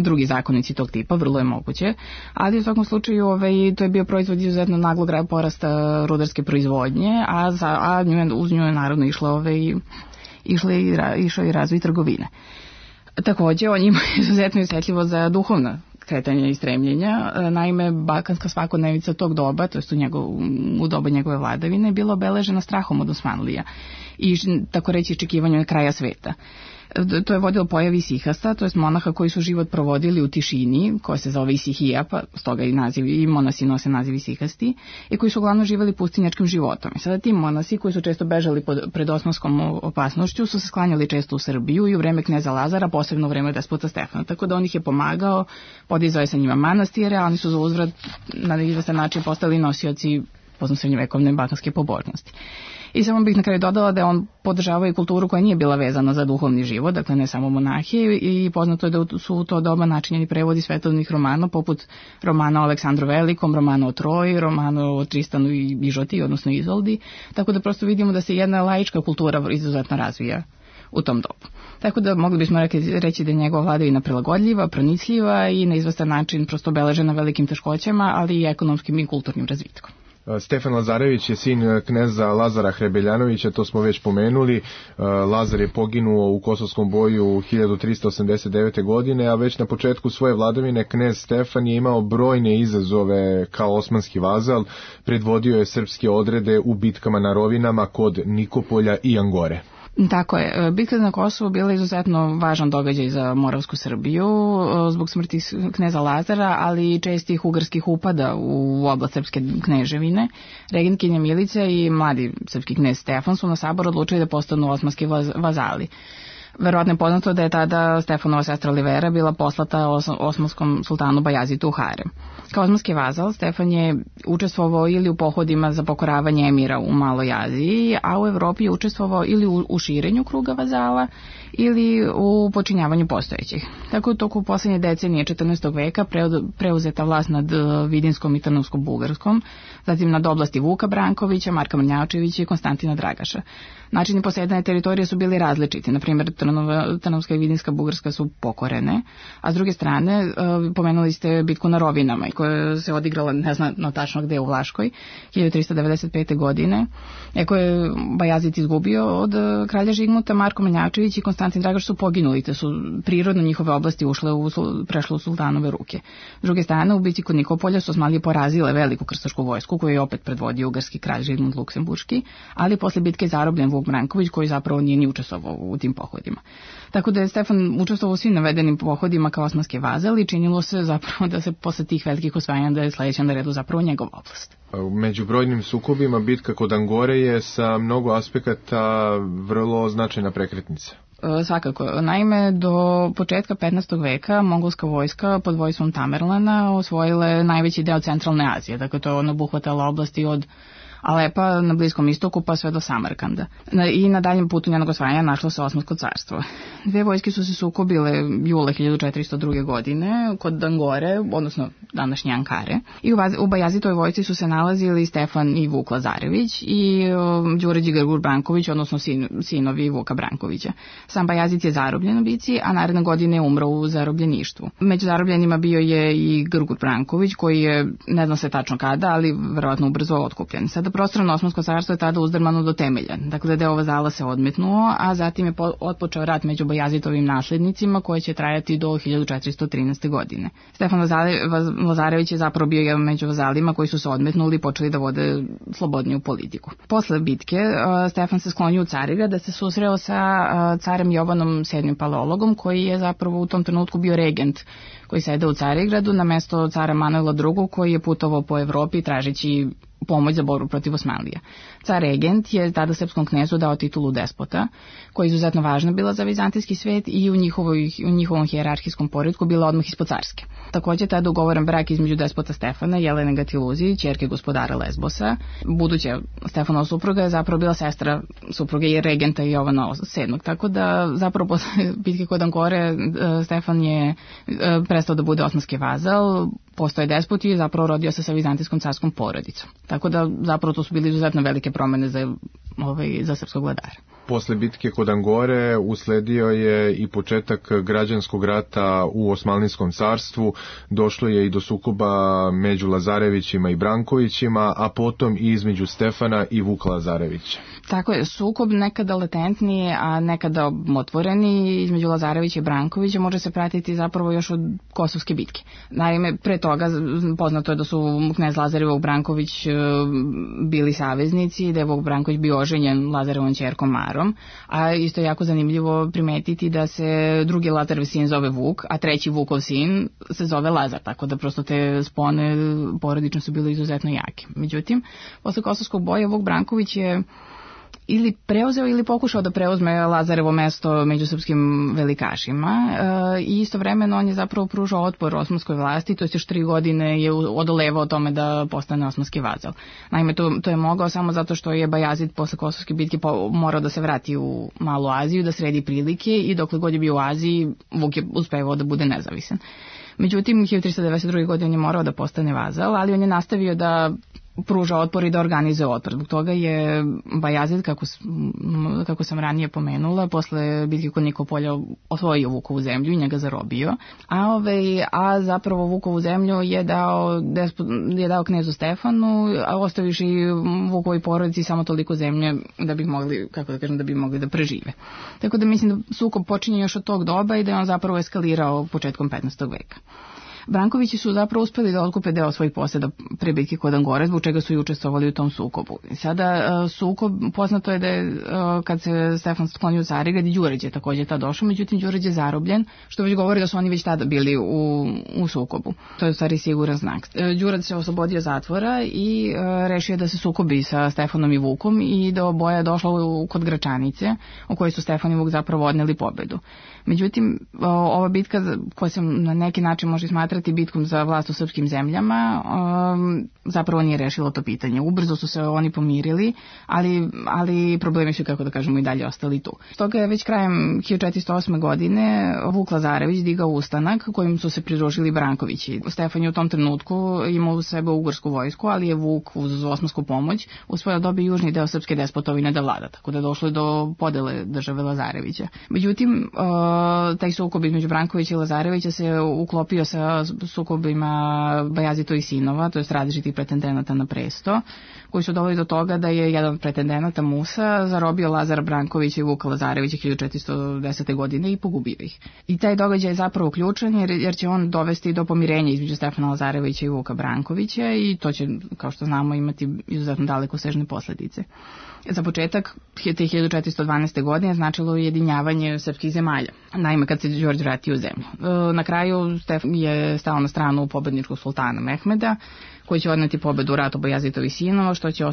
drugi zakonici tog tipa, vrlo je moguće, ali u svakom slučaju to je bio proizvod izuzetno naglog porasta rudarske proizvodnje, a uz nju je naravno išao i razvoj trgovine. Također, on ima izuzetno osjetljivo za duhovna kretanja i stremljenja. Naime, balkanska svakodnevica tog doba, to jest u doba njegove vladavine, bila obeležena strahom od Osmanlija i tako reći iščekivanju kraja sveta. To je vodilo pojavi isihasta, to jest monaha koji su život provodili u tišini, koja se zove isihija, pa stoga i monasi nose naziv isihasti, i koji su uglavnom živjeli pustinjačkim životom. I sada ti monasi koji su često bežali pred osmanskom opasnošću su se sklanjali često u Srbiju i u vreme kneza Lazara, posebno u vreme despota Stefana. Tako da on ih je pomagao, podizao je sa njima manastire, a oni su za uzvrat na izvestan način postali nosioci srednjovekovne balkanske pobožnosti. I samo bih na kraju dodala da je on podržavao i kulturu koja nije bila vezana za duhovni život, dakle ne samo monahije, i poznato je da su u to doba načinjeni prevodi svetovnih romana, poput romana o Aleksandru Velikom, romana o Troji, romana o Tristanu i Ižoti, odnosno Izoldi, tako da prosto vidimo da se jedna laička kultura izuzetno razvija u tom dobu. Tako da mogli bismo reći da je njegova vladavina prilagodljiva, pronicljiva i na izvestan način prosto obeležena velikim teškoćama, ali i ekonomskim i kulturnim razvitkom. Stefan Lazarević je sin kneza Lazara Hrebeljanovića, to smo već pomenuli. Lazar je poginuo u Kosovskom boju 1389. godine, a već na početku svoje vladavine knez Stefan je imao brojne izazove kao osmanski vazal, predvodio je srpske odrede u bitkama na rovinama kod Nikopolja i Angore. Tako je. Bitka na Kosovu bila izuzetno važan događaj za Moravsku Srbiju zbog smrti kneza Lazara, ali i čestih ugarskih upada u oblast srpske kneževine. Regentkinja Milica i mladi srpski knez Stefan su na sabor odlučili da postanu osmanski vazali. Verovatno je poznato da je tada Stefanova sestra Olivera bila poslata osmanskom sultanu Bajazitu u harem. Kao osmanski vazal, Stefan je učestvovao ili u pohodima za pokoravanje emira u Maloj Aziji, a u Evropi je učestvovao ili u širenju kruga vazala ili u počinjavanju postojećih. Tako je u toku poslednje decenije 14. veka preuzeta vlast nad Vidinskom i Trnovskom-Bugarskom, zatim nad oblasti Vuka Brankovića, Marka Mrnjavčevića i Konstantina Dragaša. Načini posedanja teritorije su bili različiti, na primjer Trnovska i Vidinska Bugarska su pokorene, a s druge strane pomenuli ste bitku na Rovinama koja se odigrala, ne znam tačno gde, u Vlaškoj, 1395. godine, koje je Bajazid izgubio od kralja Žigmuta. Marko Mrnjavčević i Konstantin Dragaš su poginuli, te su prirodno njihove oblasti prešle u sultanove ruke. S druge strane, u bitci kod Nikopolja su Osmanlije porazile veliku krstašku vojsku koju je opet predvodio ugarski kralj Žigmund Luksemburški, ali posle bitke je zarobljen Vuk Branković koji zapravo nije ni učestvovao u tim pohodima. Tako da je Stefan učestvovao u svim navedenim pohodima kao osmanski vazal i činilo se zapravo da se posle tih velikih osvajanja da je sledeća na redu zapravo njegova oblast. Među brojnim sukobima bitka kod Angore je sa mnogo aspekata vrlo značajna prekretnica. Svakako. Naime, do početka 15. veka mongolska vojska pod vojstvom Tamerlana osvojila je najveći deo centralne Azije. Dakle, to je obuhvatala oblasti od Alepa na Bliskom istoku pa sve do Samarkanda. I na daljem putu njenog osvajanja našlo se Osmansko carstvo. Dve vojske su se sukobile jula 1402. godine kod Angore, odnosno današnje Ankare. I u Bajazitovoj vojsci su se nalazili Stefan i Vuk Lazarević i Đurađi Grgur Branković, odnosno sinovi Vuka Brankovića. Sam Bajazit je zarobljen u bici, a naredne godine je umro u zarobljeništvu. Među zarobljenima bio je i Grgur Branković, koji je, ne zna se tačno kada, ali verovatno ubrzo otkupljen. Sada prostorno Osmansko carstvo je tada uzdrmano do temelja. Dakle, deo vazala se odmetnuo, a zatim je otpočeo rat među Bajazitovim naslednicima koji će trajati do 1413. godine. Stefan Lazarević je zapravo bio jedan među vazalima koji su se odmetnuli i počeli da vode slobodniju politiku. Posle bitke Stefan se sklonio u Carigrad da se susreo sa carem Jovanom VII Paleologom koji je zapravo u tom trenutku bio regent koji sede u Carigradu na mesto cara Manuela II koji je putovao po Evropi tražeći pomoć za borbu protiv Osmanlija. Car regent je tada srpskom knezu dao titulu despota, koja je izuzetno važna bila za vizantijski svet i u njihovom hijerarhijskom poretku bila odmah ispod carske. Takođe tada ugovoren brak između despota Stefana i Jelene Gatiluzi, ćerke gospodara Lesbosa. Buduća Stefanova supruga je zapravo bila sestra supruge i regenta Jovana VII. Tako da zapravo posle bitke kod Angore Stefan je prestao da bude osmanski vazal, postao je despot i zapravo rodio se sa vizantijskom carskom porodicom. Tako da zapravo to su bili izuzetno velike promene za srpskog vladara. Posle bitke kod Angore usledio je i početak građanskog rata u Osmanlijskom carstvu, došlo je i do sukoba među Lazarevićima i Brankovićima, a potom i između Stefana i Vuka Lazarevića. Tako je, sukob nekada latentniji, a nekada otvoreni između Lazarevića i Brankovića može se pratiti zapravo još od Kosovske bitke. Naime, pre toga poznato je da su knez Lazar i Vuk Branković bili saveznici, da je Vuk Branković bio oženjen Lazarevom ćerkom Marom, a isto je jako zanimljivo primetiti da se drugi Lazarov sin zove Vuk, a treći Vukov sin se zove Lazar, tako da prosto te spone porodično su bile izuzetno jake. Međutim, posle Kosovskog boja Vuk Branković je ili preuzeo ili pokušao da preuzme Lazarevo mesto među srpskim velikašima i istovremeno on je zapravo pružao otpor osmanskoj vlasti, to je još 3 godine je odolevao tome da postane osmanski vazal. Naime, to je mogao samo zato što je Bajazid posle Kosovske bitke morao da se vrati u Malu Aziju, da sredi prilike i dokle god je bio u Aziji, Vuk je uspevao da bude nezavisan. Međutim, 1392. godine on je morao da postane vazal, ali on je nastavio da pruža otpor i da organizuje otpor. Zbog toga je Bajazid, kako sam ranije pomenula, posle bitke kod Nikopolja osvojio Vukovu zemlju i njega zarobio. A zapravo Vukovu zemlju je dao knezu Stefanu, a ostaviš i Vukovoj porodici samo toliko zemlje da bi mogli da prežive. Tako da mislim da sukob počinje još od tog doba i da je on zapravo eskalirao početkom 15. veka. Brankovići su zapravo uspeli da otkupe deo svojih poseda pre bitke kod Angore, zbog čega su i učestvovali u tom sukobu. Sada sukob, poznato je da je kad se Stefan sklonio u Carigrad i Đurđe je također tada došao, međutim Đurđe je zarobljen, što već govori da su oni već tada bili u sukobu. To je u stvari siguran znak. Đurađ se oslobodio zatvora i rešio da se sukobi sa Stefanom i Vukom i do boja došlo kod Gračanice, u kojoj su Stefan i Vuk zapravo odneli pobedu. Međutim, ova bitka koja se na neki način može smatrati bitkom za vlast u srpskim zemljama, zapravo nije rešilo to pitanje. Ubrzo su se oni pomirili, ali problemi su, kako da kažemo, i dalje ostali tu. Stoga je već krajem 1408. godine Vuk Lazarević digao ustanak kojim su se pridružili Brankovići. Stefan je u tom trenutku imao u sebe ugorsku vojsku, ali je Vuk uz osmansku pomoć uspeo da dobije južni deo srpske despotovine da vlada, tako da je došlo do podele države Lazarevića. Međutim, taj sukob između Brankovića i Lazarevića se uklopio sa sukobima Bajazitovih sinova, to je različitih pretendenata na presto, koji su doveli do toga da je jedan od pretendenata, Musa, zarobio Lazara Brankovića i Vuka Lazarevića 1410. godine i pogubio ih. I taj događaj je zapravo ključan jer će on dovesti do pomirenja između Stefana Lazarevića i Vuka Brankovića i to će, kao što znamo, imati izuzetno dalekosežne posljedice. Za početak, te 1412. godine značilo ujedinjavanje srpskih zemalja. Naime, kad se Đorđe vratio u zemlju. Na kraju Stefan je stao na stranu pobedničkog sultana Mehmeda, koji će odneti pobedu u ratu Bajazitovih sinova, što će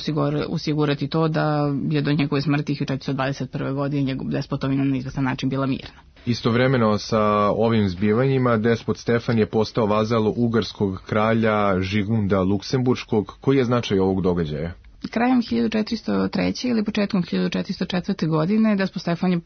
osigurati to da je do njegove smrti 1421. godine njegov despotovina na izvestan način bila mirna. Istovremeno sa ovim zbivanjima despot Stefan je postao vazal ugarskog kralja Žigmunda Luksemburškog. Koji je značaj ovog događaja? Krajem 1403. ili početkom 1404. godine despot Stefan je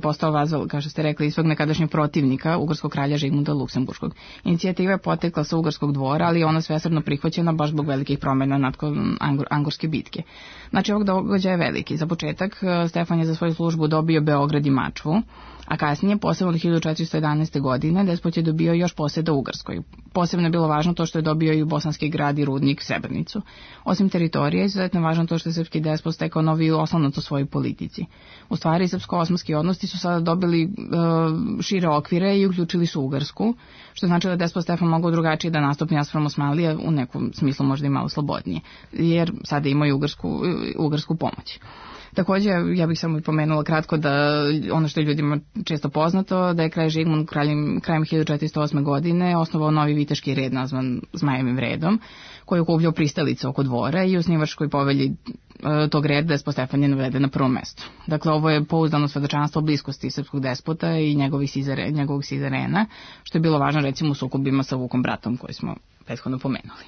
postao vazal, kao što ste rekli, svog nekadašnjeg protivnika, ugarskog kralja Žigmunda Luksemburškog. Inicijativa je potekla sa ugarskog dvora, ali je ona svesrdno prihvaćena baš zbog velikih promjena nakon Angorske bitke. Znači, ovog događaja je veliki. Za početak, Stefan je za svoju službu dobio Beograd i Mačvu, a kasnije, posebno od 1411. godine, despot je dobio još poseda Ugarskoj. Posebno je bilo važno to što je dobio i Bosanski grad i rudnik Srebrnicu. Osim teritorije, izuzetno je važno to što je srpski despot stekao novi oslonac u svojoj politici. U stvari, srpsko-osmanski odnosi su sada dobili šire okvire i uključili su Ugarsku, što znači da despot Stefan mogao drugačije da nastupi naspram Osmanlije, u nekom smislu možda i malo slobodnije, jer sada imaju ugarsku pomoć. Također, ja bih samo i pomenula kratko da ono što je ljudima često poznato, da je kralj Žigmund krajem 1408. godine osnovao novi viteški red nazvan Zmajevim redom, koji je okupljao pristalice oko dvora i u osnivačkoj povelji tog reda despot Stefan je naveden na prvom mestu. Dakle, ovo je pouzdano svedočanstvo o bliskosti srpskog despota i njegovog sizarena, što je bilo važno recimo u sukobima sa Vukom bratom koji smo prethodno pomenuli.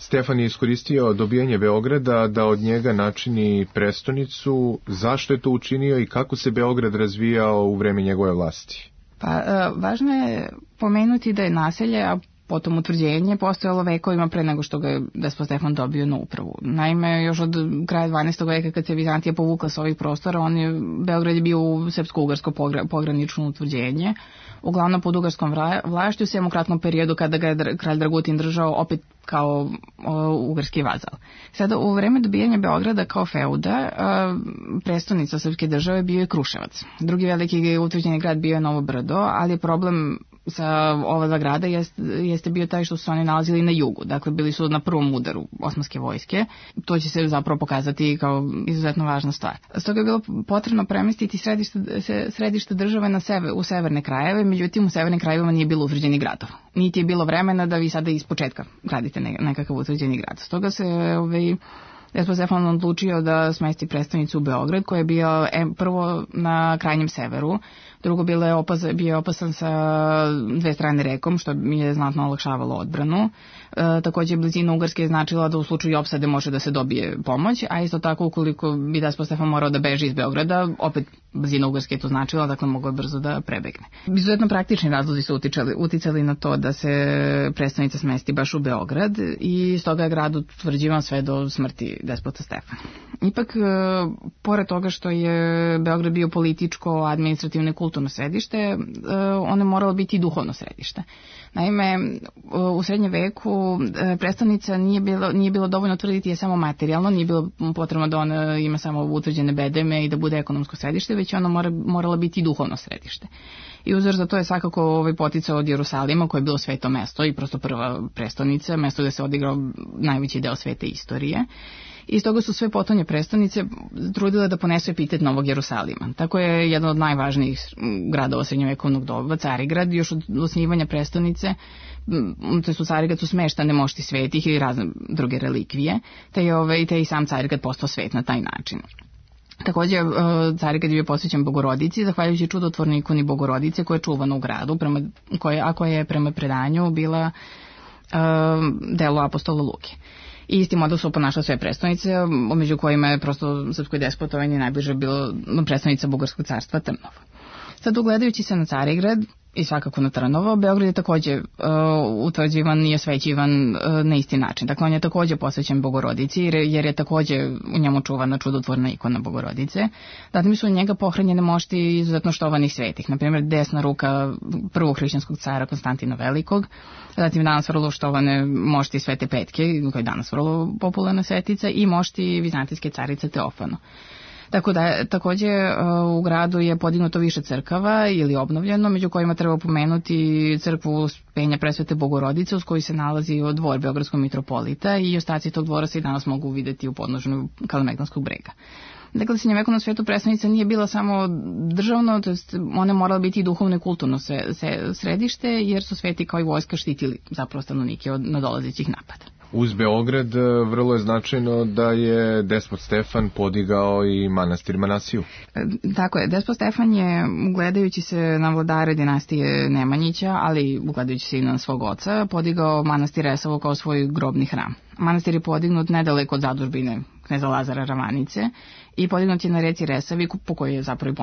Stefan je iskoristio dobijanje Beograda da od njega načini prestonicu. Zašto je to učinio i kako se Beograd razvijao u vreme njegove vlasti? Pa, važno je pomenuti da je naselje, a potom utvrđenje, postojalo vekovima pre nego što ga je despot Stefan dobio na upravu. Naime, još od kraja 12. veka kad se Vizantija povukla sa ovih prostora, Beograd je bio u srpsko-ugarsko pogranično utvrđenje, uglavnom pod ugarskom vlašću, sem u kratkom periodu kada ga je kralj Dragutin držao opet kao ugarski vazal. Sada, u vreme dobijanja Beograda kao feuda, prestonica srpske države bio je Kruševac. Drugi veliki utvrđeni grad bio je Novo Brdo, ali je problem sa ova dva grada jeste bio taj što su oni nalazili na jugu. Dakle, bili su na prvom udaru osmanske vojske. To će se zapravo pokazati kao izuzetno važna stvar. Stoga je bilo potrebno premestiti središte države u severne krajeve, međutim u severnim krajevima nije bilo utvrđeni gradova. Niti je bilo vremena da vi sada iz početka gradite nekakav utvrđeni grad. Stoga se Despot Stefan odlučio da smesti prestonicu u Beograd, koja je bio prvo na krajnjem severu, drugo bio je opasan sa dve strane rekom, što mi je znatno olakšavalo odbranu. Takođe, blizina Ugarske je značila da u slučaju opsade može da se dobije pomoć, a isto tako ukoliko bi Despot Stefan morao da beži iz Beograda, opet blizina Ugarske je to značila, dakle mogao je brzo da prebegne. Izuzetno praktični razlozi su uticali na to da se prestonica smesti baš u Beograd i stoga je grad utvrđivan sve do smrti Despota Stefana. Ipak, pored toga što je Beograd bio političko, administrativno i kulturno središte, ono je moralo biti i duhovno središte. Naime, u srednjem veku prestonica nije bilo dovoljno tvrditi je samo materijalno, nije bilo potrebno da ona ima samo utvrđene bedeme i da bude ekonomsko središte, već ona morala biti i duhovno središte. I uzor za to je svakako poticao od Jerusalima, koje je bilo sveto mesto i prosto prva prestonica, mesto gde se odigrao najveći deo svete istorije. I stoga su sve potonje prestonice trudile da ponesu epitet Novog Jerusalima. Tako je jedan od najvažnijih gradova srednjovekovnog doba, Carigrad, još od osnivanja prestonice, te su Carigrad su smeštane mošti svetih ili razne druge relikvije, te je i sam Carigrad postao svet na taj način. Takođe, Carigrad je bio posvećen Bogorodici, zahvaljujući čudotvornoj ikoni Bogorodice koja je čuvana u gradu, a koja je prema predanju bila delo apostola Luke. I isti model su ponašale sve prestonice, među kojima je prosto srpskoj despotovanje najbliže bilo prestonica Bugarskog carstva Trnovo. Sad, ugledajući se na Carigrad i svakako na Trnovo, Beograd je takođe utvrđivan i osvećivan na isti način. Dakle, on je takođe posvećen Bogorodici, jer je takođe u njemu čuvana čudotvorna ikona Bogorodice. Zatim su u njega pohranjene mošti izuzetno štovanih svetih, na primjer desna ruka prvog hrišćanskog cara Konstantina Velikog, zatim danas vrlo štovane mošti Svete Petke, koja je danas vrlo popularna svetica, i mošti vizantijske carice Teofano. Takođe u gradu je podignuto više crkava ili obnovljeno, među kojima treba pomenuti crkvu Uspenja Presvete Bogorodice, uz koju se nalazi dvor beogradskog mitropolita, i ostaci tog dvora se i danas mogu videti u podnožju Kalemegdanskog brega. Dakle, srednjovekovno svetu prestonica nije bila samo državno, to jest ona je morala biti i duhovno i kulturno središte, jer su sveti kao i vojska štitili zapravo stanovnike od nadolazećih napada. Uz Beograd vrlo je značajno da je Despot Stefan podigao i manastir Manasiju. Tako je, Despot Stefan je, gledajući se na vladare dinastije Nemanjića, ali gledajući se i na svog oca, podigao manastir Resovo kao svoj grobni hram. Manastir je podignut nedaleko od zadužbine kneza Lazara Ravanice i podignut je na reci Resavi, po kojoj je zapravo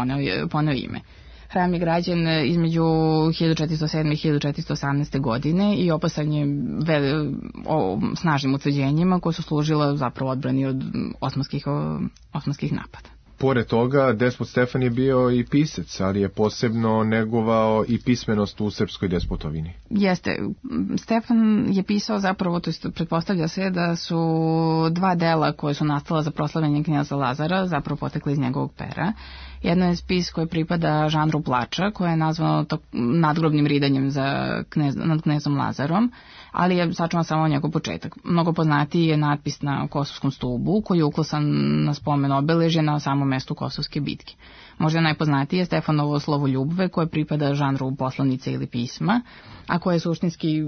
poneo ime. Hram je građen između 1407. i 1418. godine i opasan je snažnim utvrđenjima koje su služila zapravo odbrani od osmanskih napada. Pored toga, Despot Stefan je bio i pisac, ali je posebno negovao i pismenost u srpskoj despotovini. Jeste. Stefan je pisao zapravo, to jest pretpostavlja se da su dva dela koje su nastala za proslavljanje knjeza Lazara zapravo potekle iz njegovog pera. Jedno je spis koji pripada žanru plača, koje je nazvano nadgrobnim ridanjem nad knezom Lazarom, ali je sačuvan samo njegov početak. Mnogo poznatiji je natpis na Kosovskom stubu, koji je uklesan na spomen obeležje na samom mestu Kosovske bitke. Možda najpoznatije je Stefanovo slovo ljubve, koje pripada žanru poslanice ili pisma, a koje je suštinski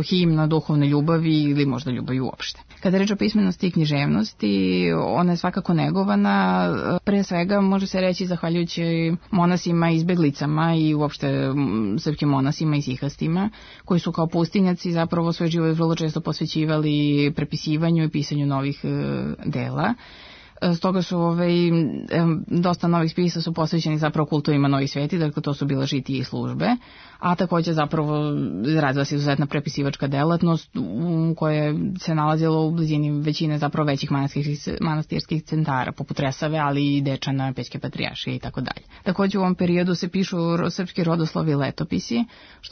himna duhovne ljubavi ili možda ljubavi uopšte. Kada je reč o pismenosti i književnosti, ona je svakako negovana, pre svega može se reći zahvaljujući monasima i izbeglicama i uopšte srpskim monasima i sihastima, koji su kao pustinjaci zapravo svoj život vrlo često posvećivali prepisivanju i pisanju novih dela. Stoga su dosta novih spisa su posvećeni zapravo kultovima novih sveti, dakle to su bila žitije i službe, a takođe zapravo razvila se izuzetna prepisivačka delatnost koja se nalazila u blizini većine zapravo većih manastirskih centara, poput Resave, ali i Dečana, Pećke patrijaršije i tako dalje. Takođe u ovom periodu se pišu srpski rodoslovi i letopisi,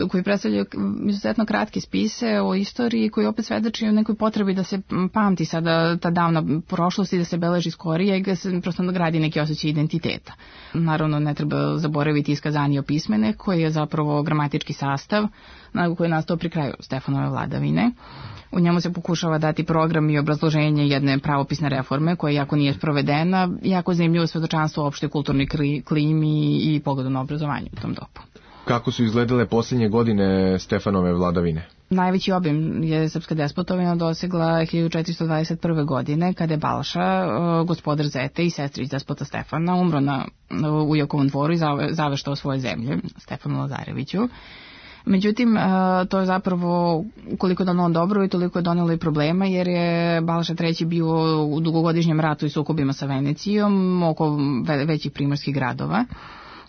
koji predstavljaju izuzetno kratke spise o istoriji koji opet svedoči o nekoj potrebi da se pamti sada ta davna prošlost i da se beleži skorije i da se prosto gradi neki osjećaj identiteta. Naravno, ne treba zaboraviti iskazanje pismene, koji je zapravo gramatički sastav koji je nastao pri kraju Stefanove vladavine. U njemu se pokušava dati program i obrazloženje jedne pravopisne reforme koja jako nije sprovedena, jako zanimljivo svedočanstvo o opštoj kulturnoj klimi i pogledu na obrazovanje u tom dobu. Kako su izgledale posljednje godine Stefanove vladavine? Najveći obim je srpska despotovina dosegla 1421. godine, kada je Balša, gospodar Zete i sestrić despota Stefana, umro u Jakovom dvoru i zaveštao svoje zemlje Stefanu Lazareviću. Međutim, to je zapravo, koliko je donalo dobro i toliko je donelo i problema, jer je Balša III bio u dugogodišnjem ratu i sukobima sa Venecijom oko većih primorskih gradova.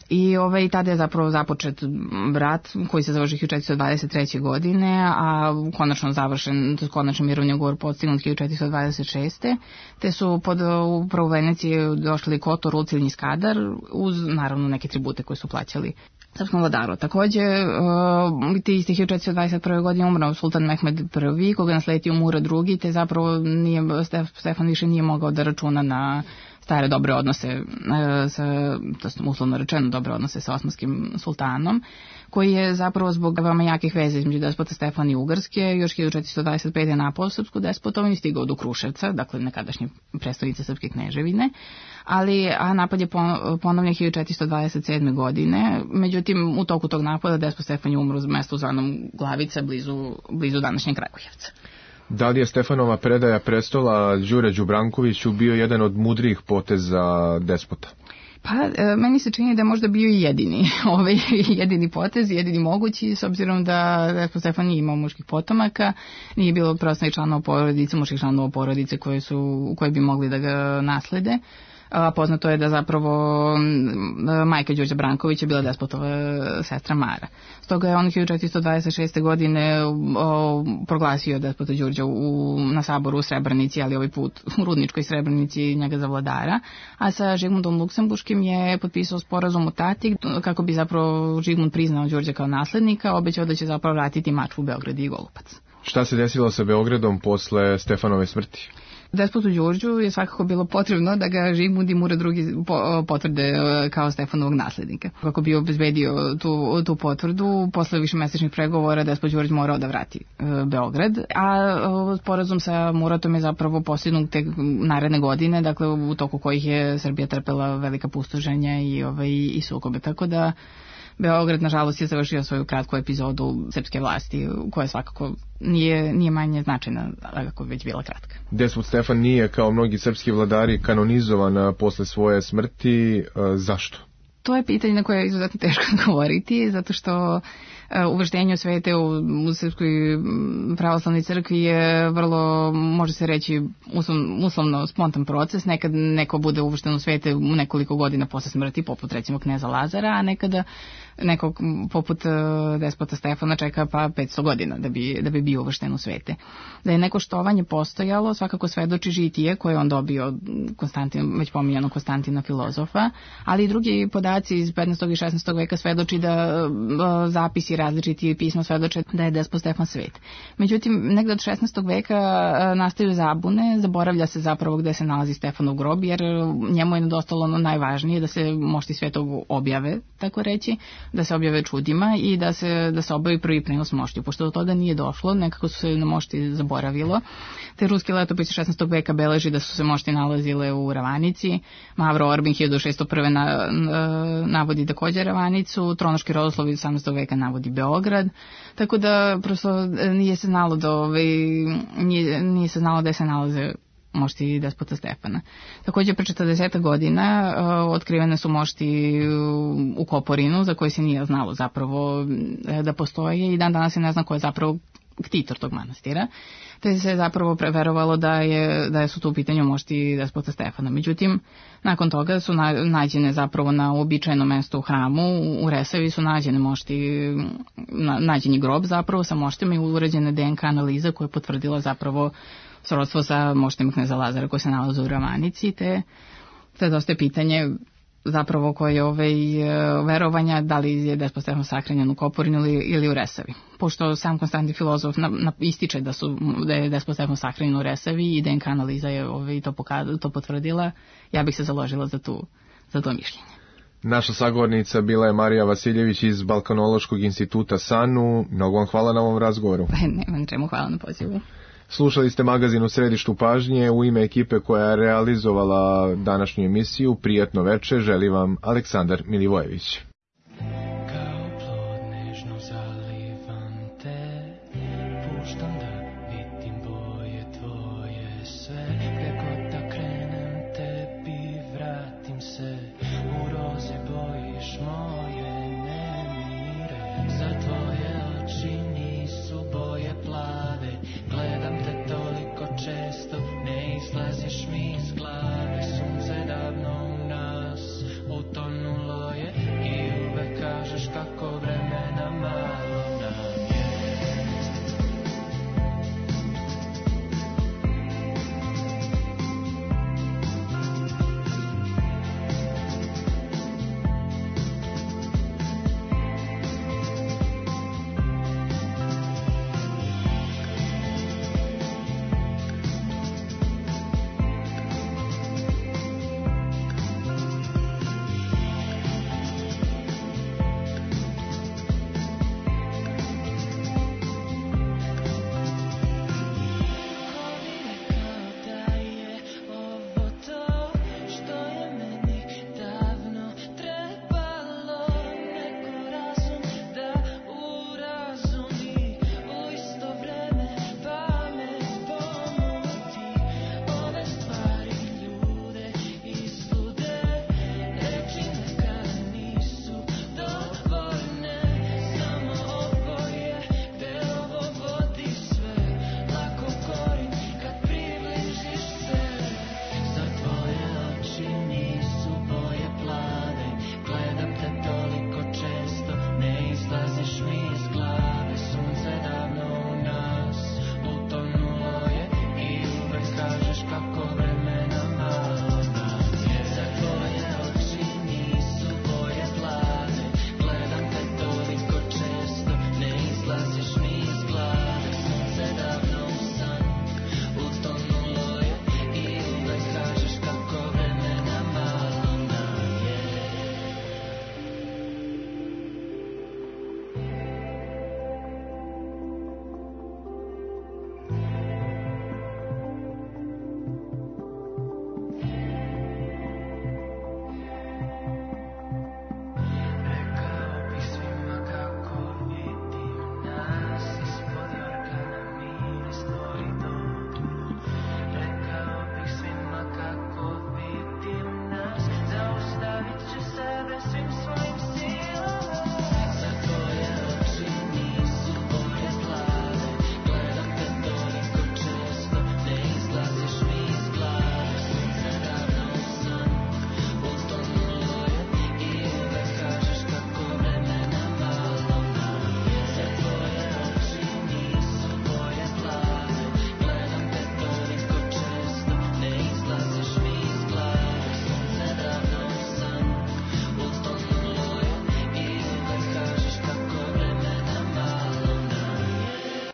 I tada je zapravo započet rat koji se završio 1423. godine, a konačno završen, konačno mirovni ugovor postignut 1426. Te su pod upravo Veneciji došli Kotor, Lucilj i Skadar, uz naravno neke tribute koje su plaćali srpskom vladaru. Takođe, ti isti 1421. godine umrao sultan Mehmed I, koga je nasledio Murad II, te zapravo Stefan više nije mogao da računa na stare dobre odnose, to je uslovno rečeno dobre odnose sa osmanskim sultanom, koji je zapravo zbog veoma jakih veza između despota Stefana i Ugarske još 1425. napao srpsku despotovinu i stigao do Kruševca, dakle nekadašnje prestonice srpske kneževine, a napad je ponovljen 1427. godine, međutim u toku tog napada despot Stefan je umro u mestu zvanom Glavica, blizu današnjeg Kragujevca. Da li je Stefanova predaja prestola Đure Đubrankoviću bio jedan od mudrijih poteza despota? Pa, meni se čini da je možda bio i jedini potez, jedini mogući, s obzirom da despot Stefan nije imao muških potomaka, nije bilo preostalih članova porodice, muških članova porodice koje bi mogli da ga naslede. Poznato je da zapravo majka Đurđa Brankovića bila despotova sestra Mara. Stoga je on 1426. godine proglasio despota Đurđa na saboru u Srebrenici, ali ovaj put u Rudničkoj Srebrenici njega za vladara, a sa Žigmundom Luksemburškim je potpisao sporazum o Tati kako bi zapravo Žigmund priznao Đurđa kao naslednika, obećao da će zapravo vratiti Mačvu, Beograd i Golubac. Šta se desilo sa Beogradom posle Stefanove smrti? Despotu Đurđu je svakako bilo potrebno da ga Žigmund i Murad II potvrde kao Stefanovog naslednika. Kako bi obezbedio tu potvrdu, posle višemesečnih pregovora despot Đurđ morao da vrati Beograd, a sporazum sa Muratom je zapravo postignut tek naredne godine, dakle u toku kojih je Srbija trpela velika pustoženja i sukobe, tako da Beograd, nažalost, je završio svoju kratku epizodu srpske vlasti, koja svakako nije manje značajna, ako već bila kratka. Despot Stefan nije, kao mnogi srpski vladari, kanonizovan posle svoje smrti. Zašto? To je pitanje na koje je izuzetno teško govoriti, zato što uvrštenje u svete u Srpskoj pravoslavnoj crkvi je vrlo, može se reći, uslovno spontan proces. Nekad neko bude uvršten u svete u nekoliko godina posle smrti, poput recimo kneza Lazara, a nekada nekog poput despota Stefana čeka pa 500 godina da bi bio uvršten u svete. Da je neko štovanje postojalo, svakako svedoči žitije koje on dobio od već pominjanog Konstantina filozofa, ali i drugi podaci iz 15. i 16. veka svedoči da zapisi različiti pisma svedoče da je despot Stefan svet. Međutim, negde od 16. veka nastaju zabune, zaboravlja se zapravo gde se nalazi Stefanov grob, jer njemu je nedostalo ono najvažnije, da se mošti svetog objave, tako reći, da se objave čudima i da se obavi prvi prenos moštiju. Pošto do toga nije došlo, nekako su se na mošti zaboravilo. Te ruski letopis 16. veka beleži da su se mošti nalazile u Ravanici, Mavro Orbin 1601. Navodi takođe Ravanicu, Tronoški rodoslov 18. veka navodi Beograd, tako da prosto nije se znalo da se nalaze mošti despota Stefana. Takođe, pre 40 godina otkrivene su mošti u Koporinu, za koje se nije znalo zapravo da postoje, i dan danas se ne zna ko je zapravo ktitor tog manastira, te se zapravo preverovalo da su tu u pitanju mošti despota Stefana. Međutim, nakon toga su nađene zapravo na uobičajenom mestu u hramu, u Resavi su nađeni grob zapravo sa moštima i urađena DNK analiza koja je potvrdila zapravo srodstvo sa moštima kneza Lazara koji se nalaze u Ravanici, te dosta je pitanje zapravo koje verovanja, da li je despot Stefan sahranjen u Koporinu ili u Resavi. Pošto sam Konstantin filozof ističe da je despot Stefan sahranjen u Resavi i DNK analiza je to potvrdila, ja bih se založila za to mišljenje. Naša sagovornica bila je Marija Vasiljević iz Balkanološkog instituta SANU. Mnogo vam hvala na ovom razgovoru. Nema čemu, hvala na pozivu. Slušali ste magazin U središtu pažnje. U ime ekipe koja je realizovala današnju emisiju, prijatno veče želi vam Aleksandar Milivojević.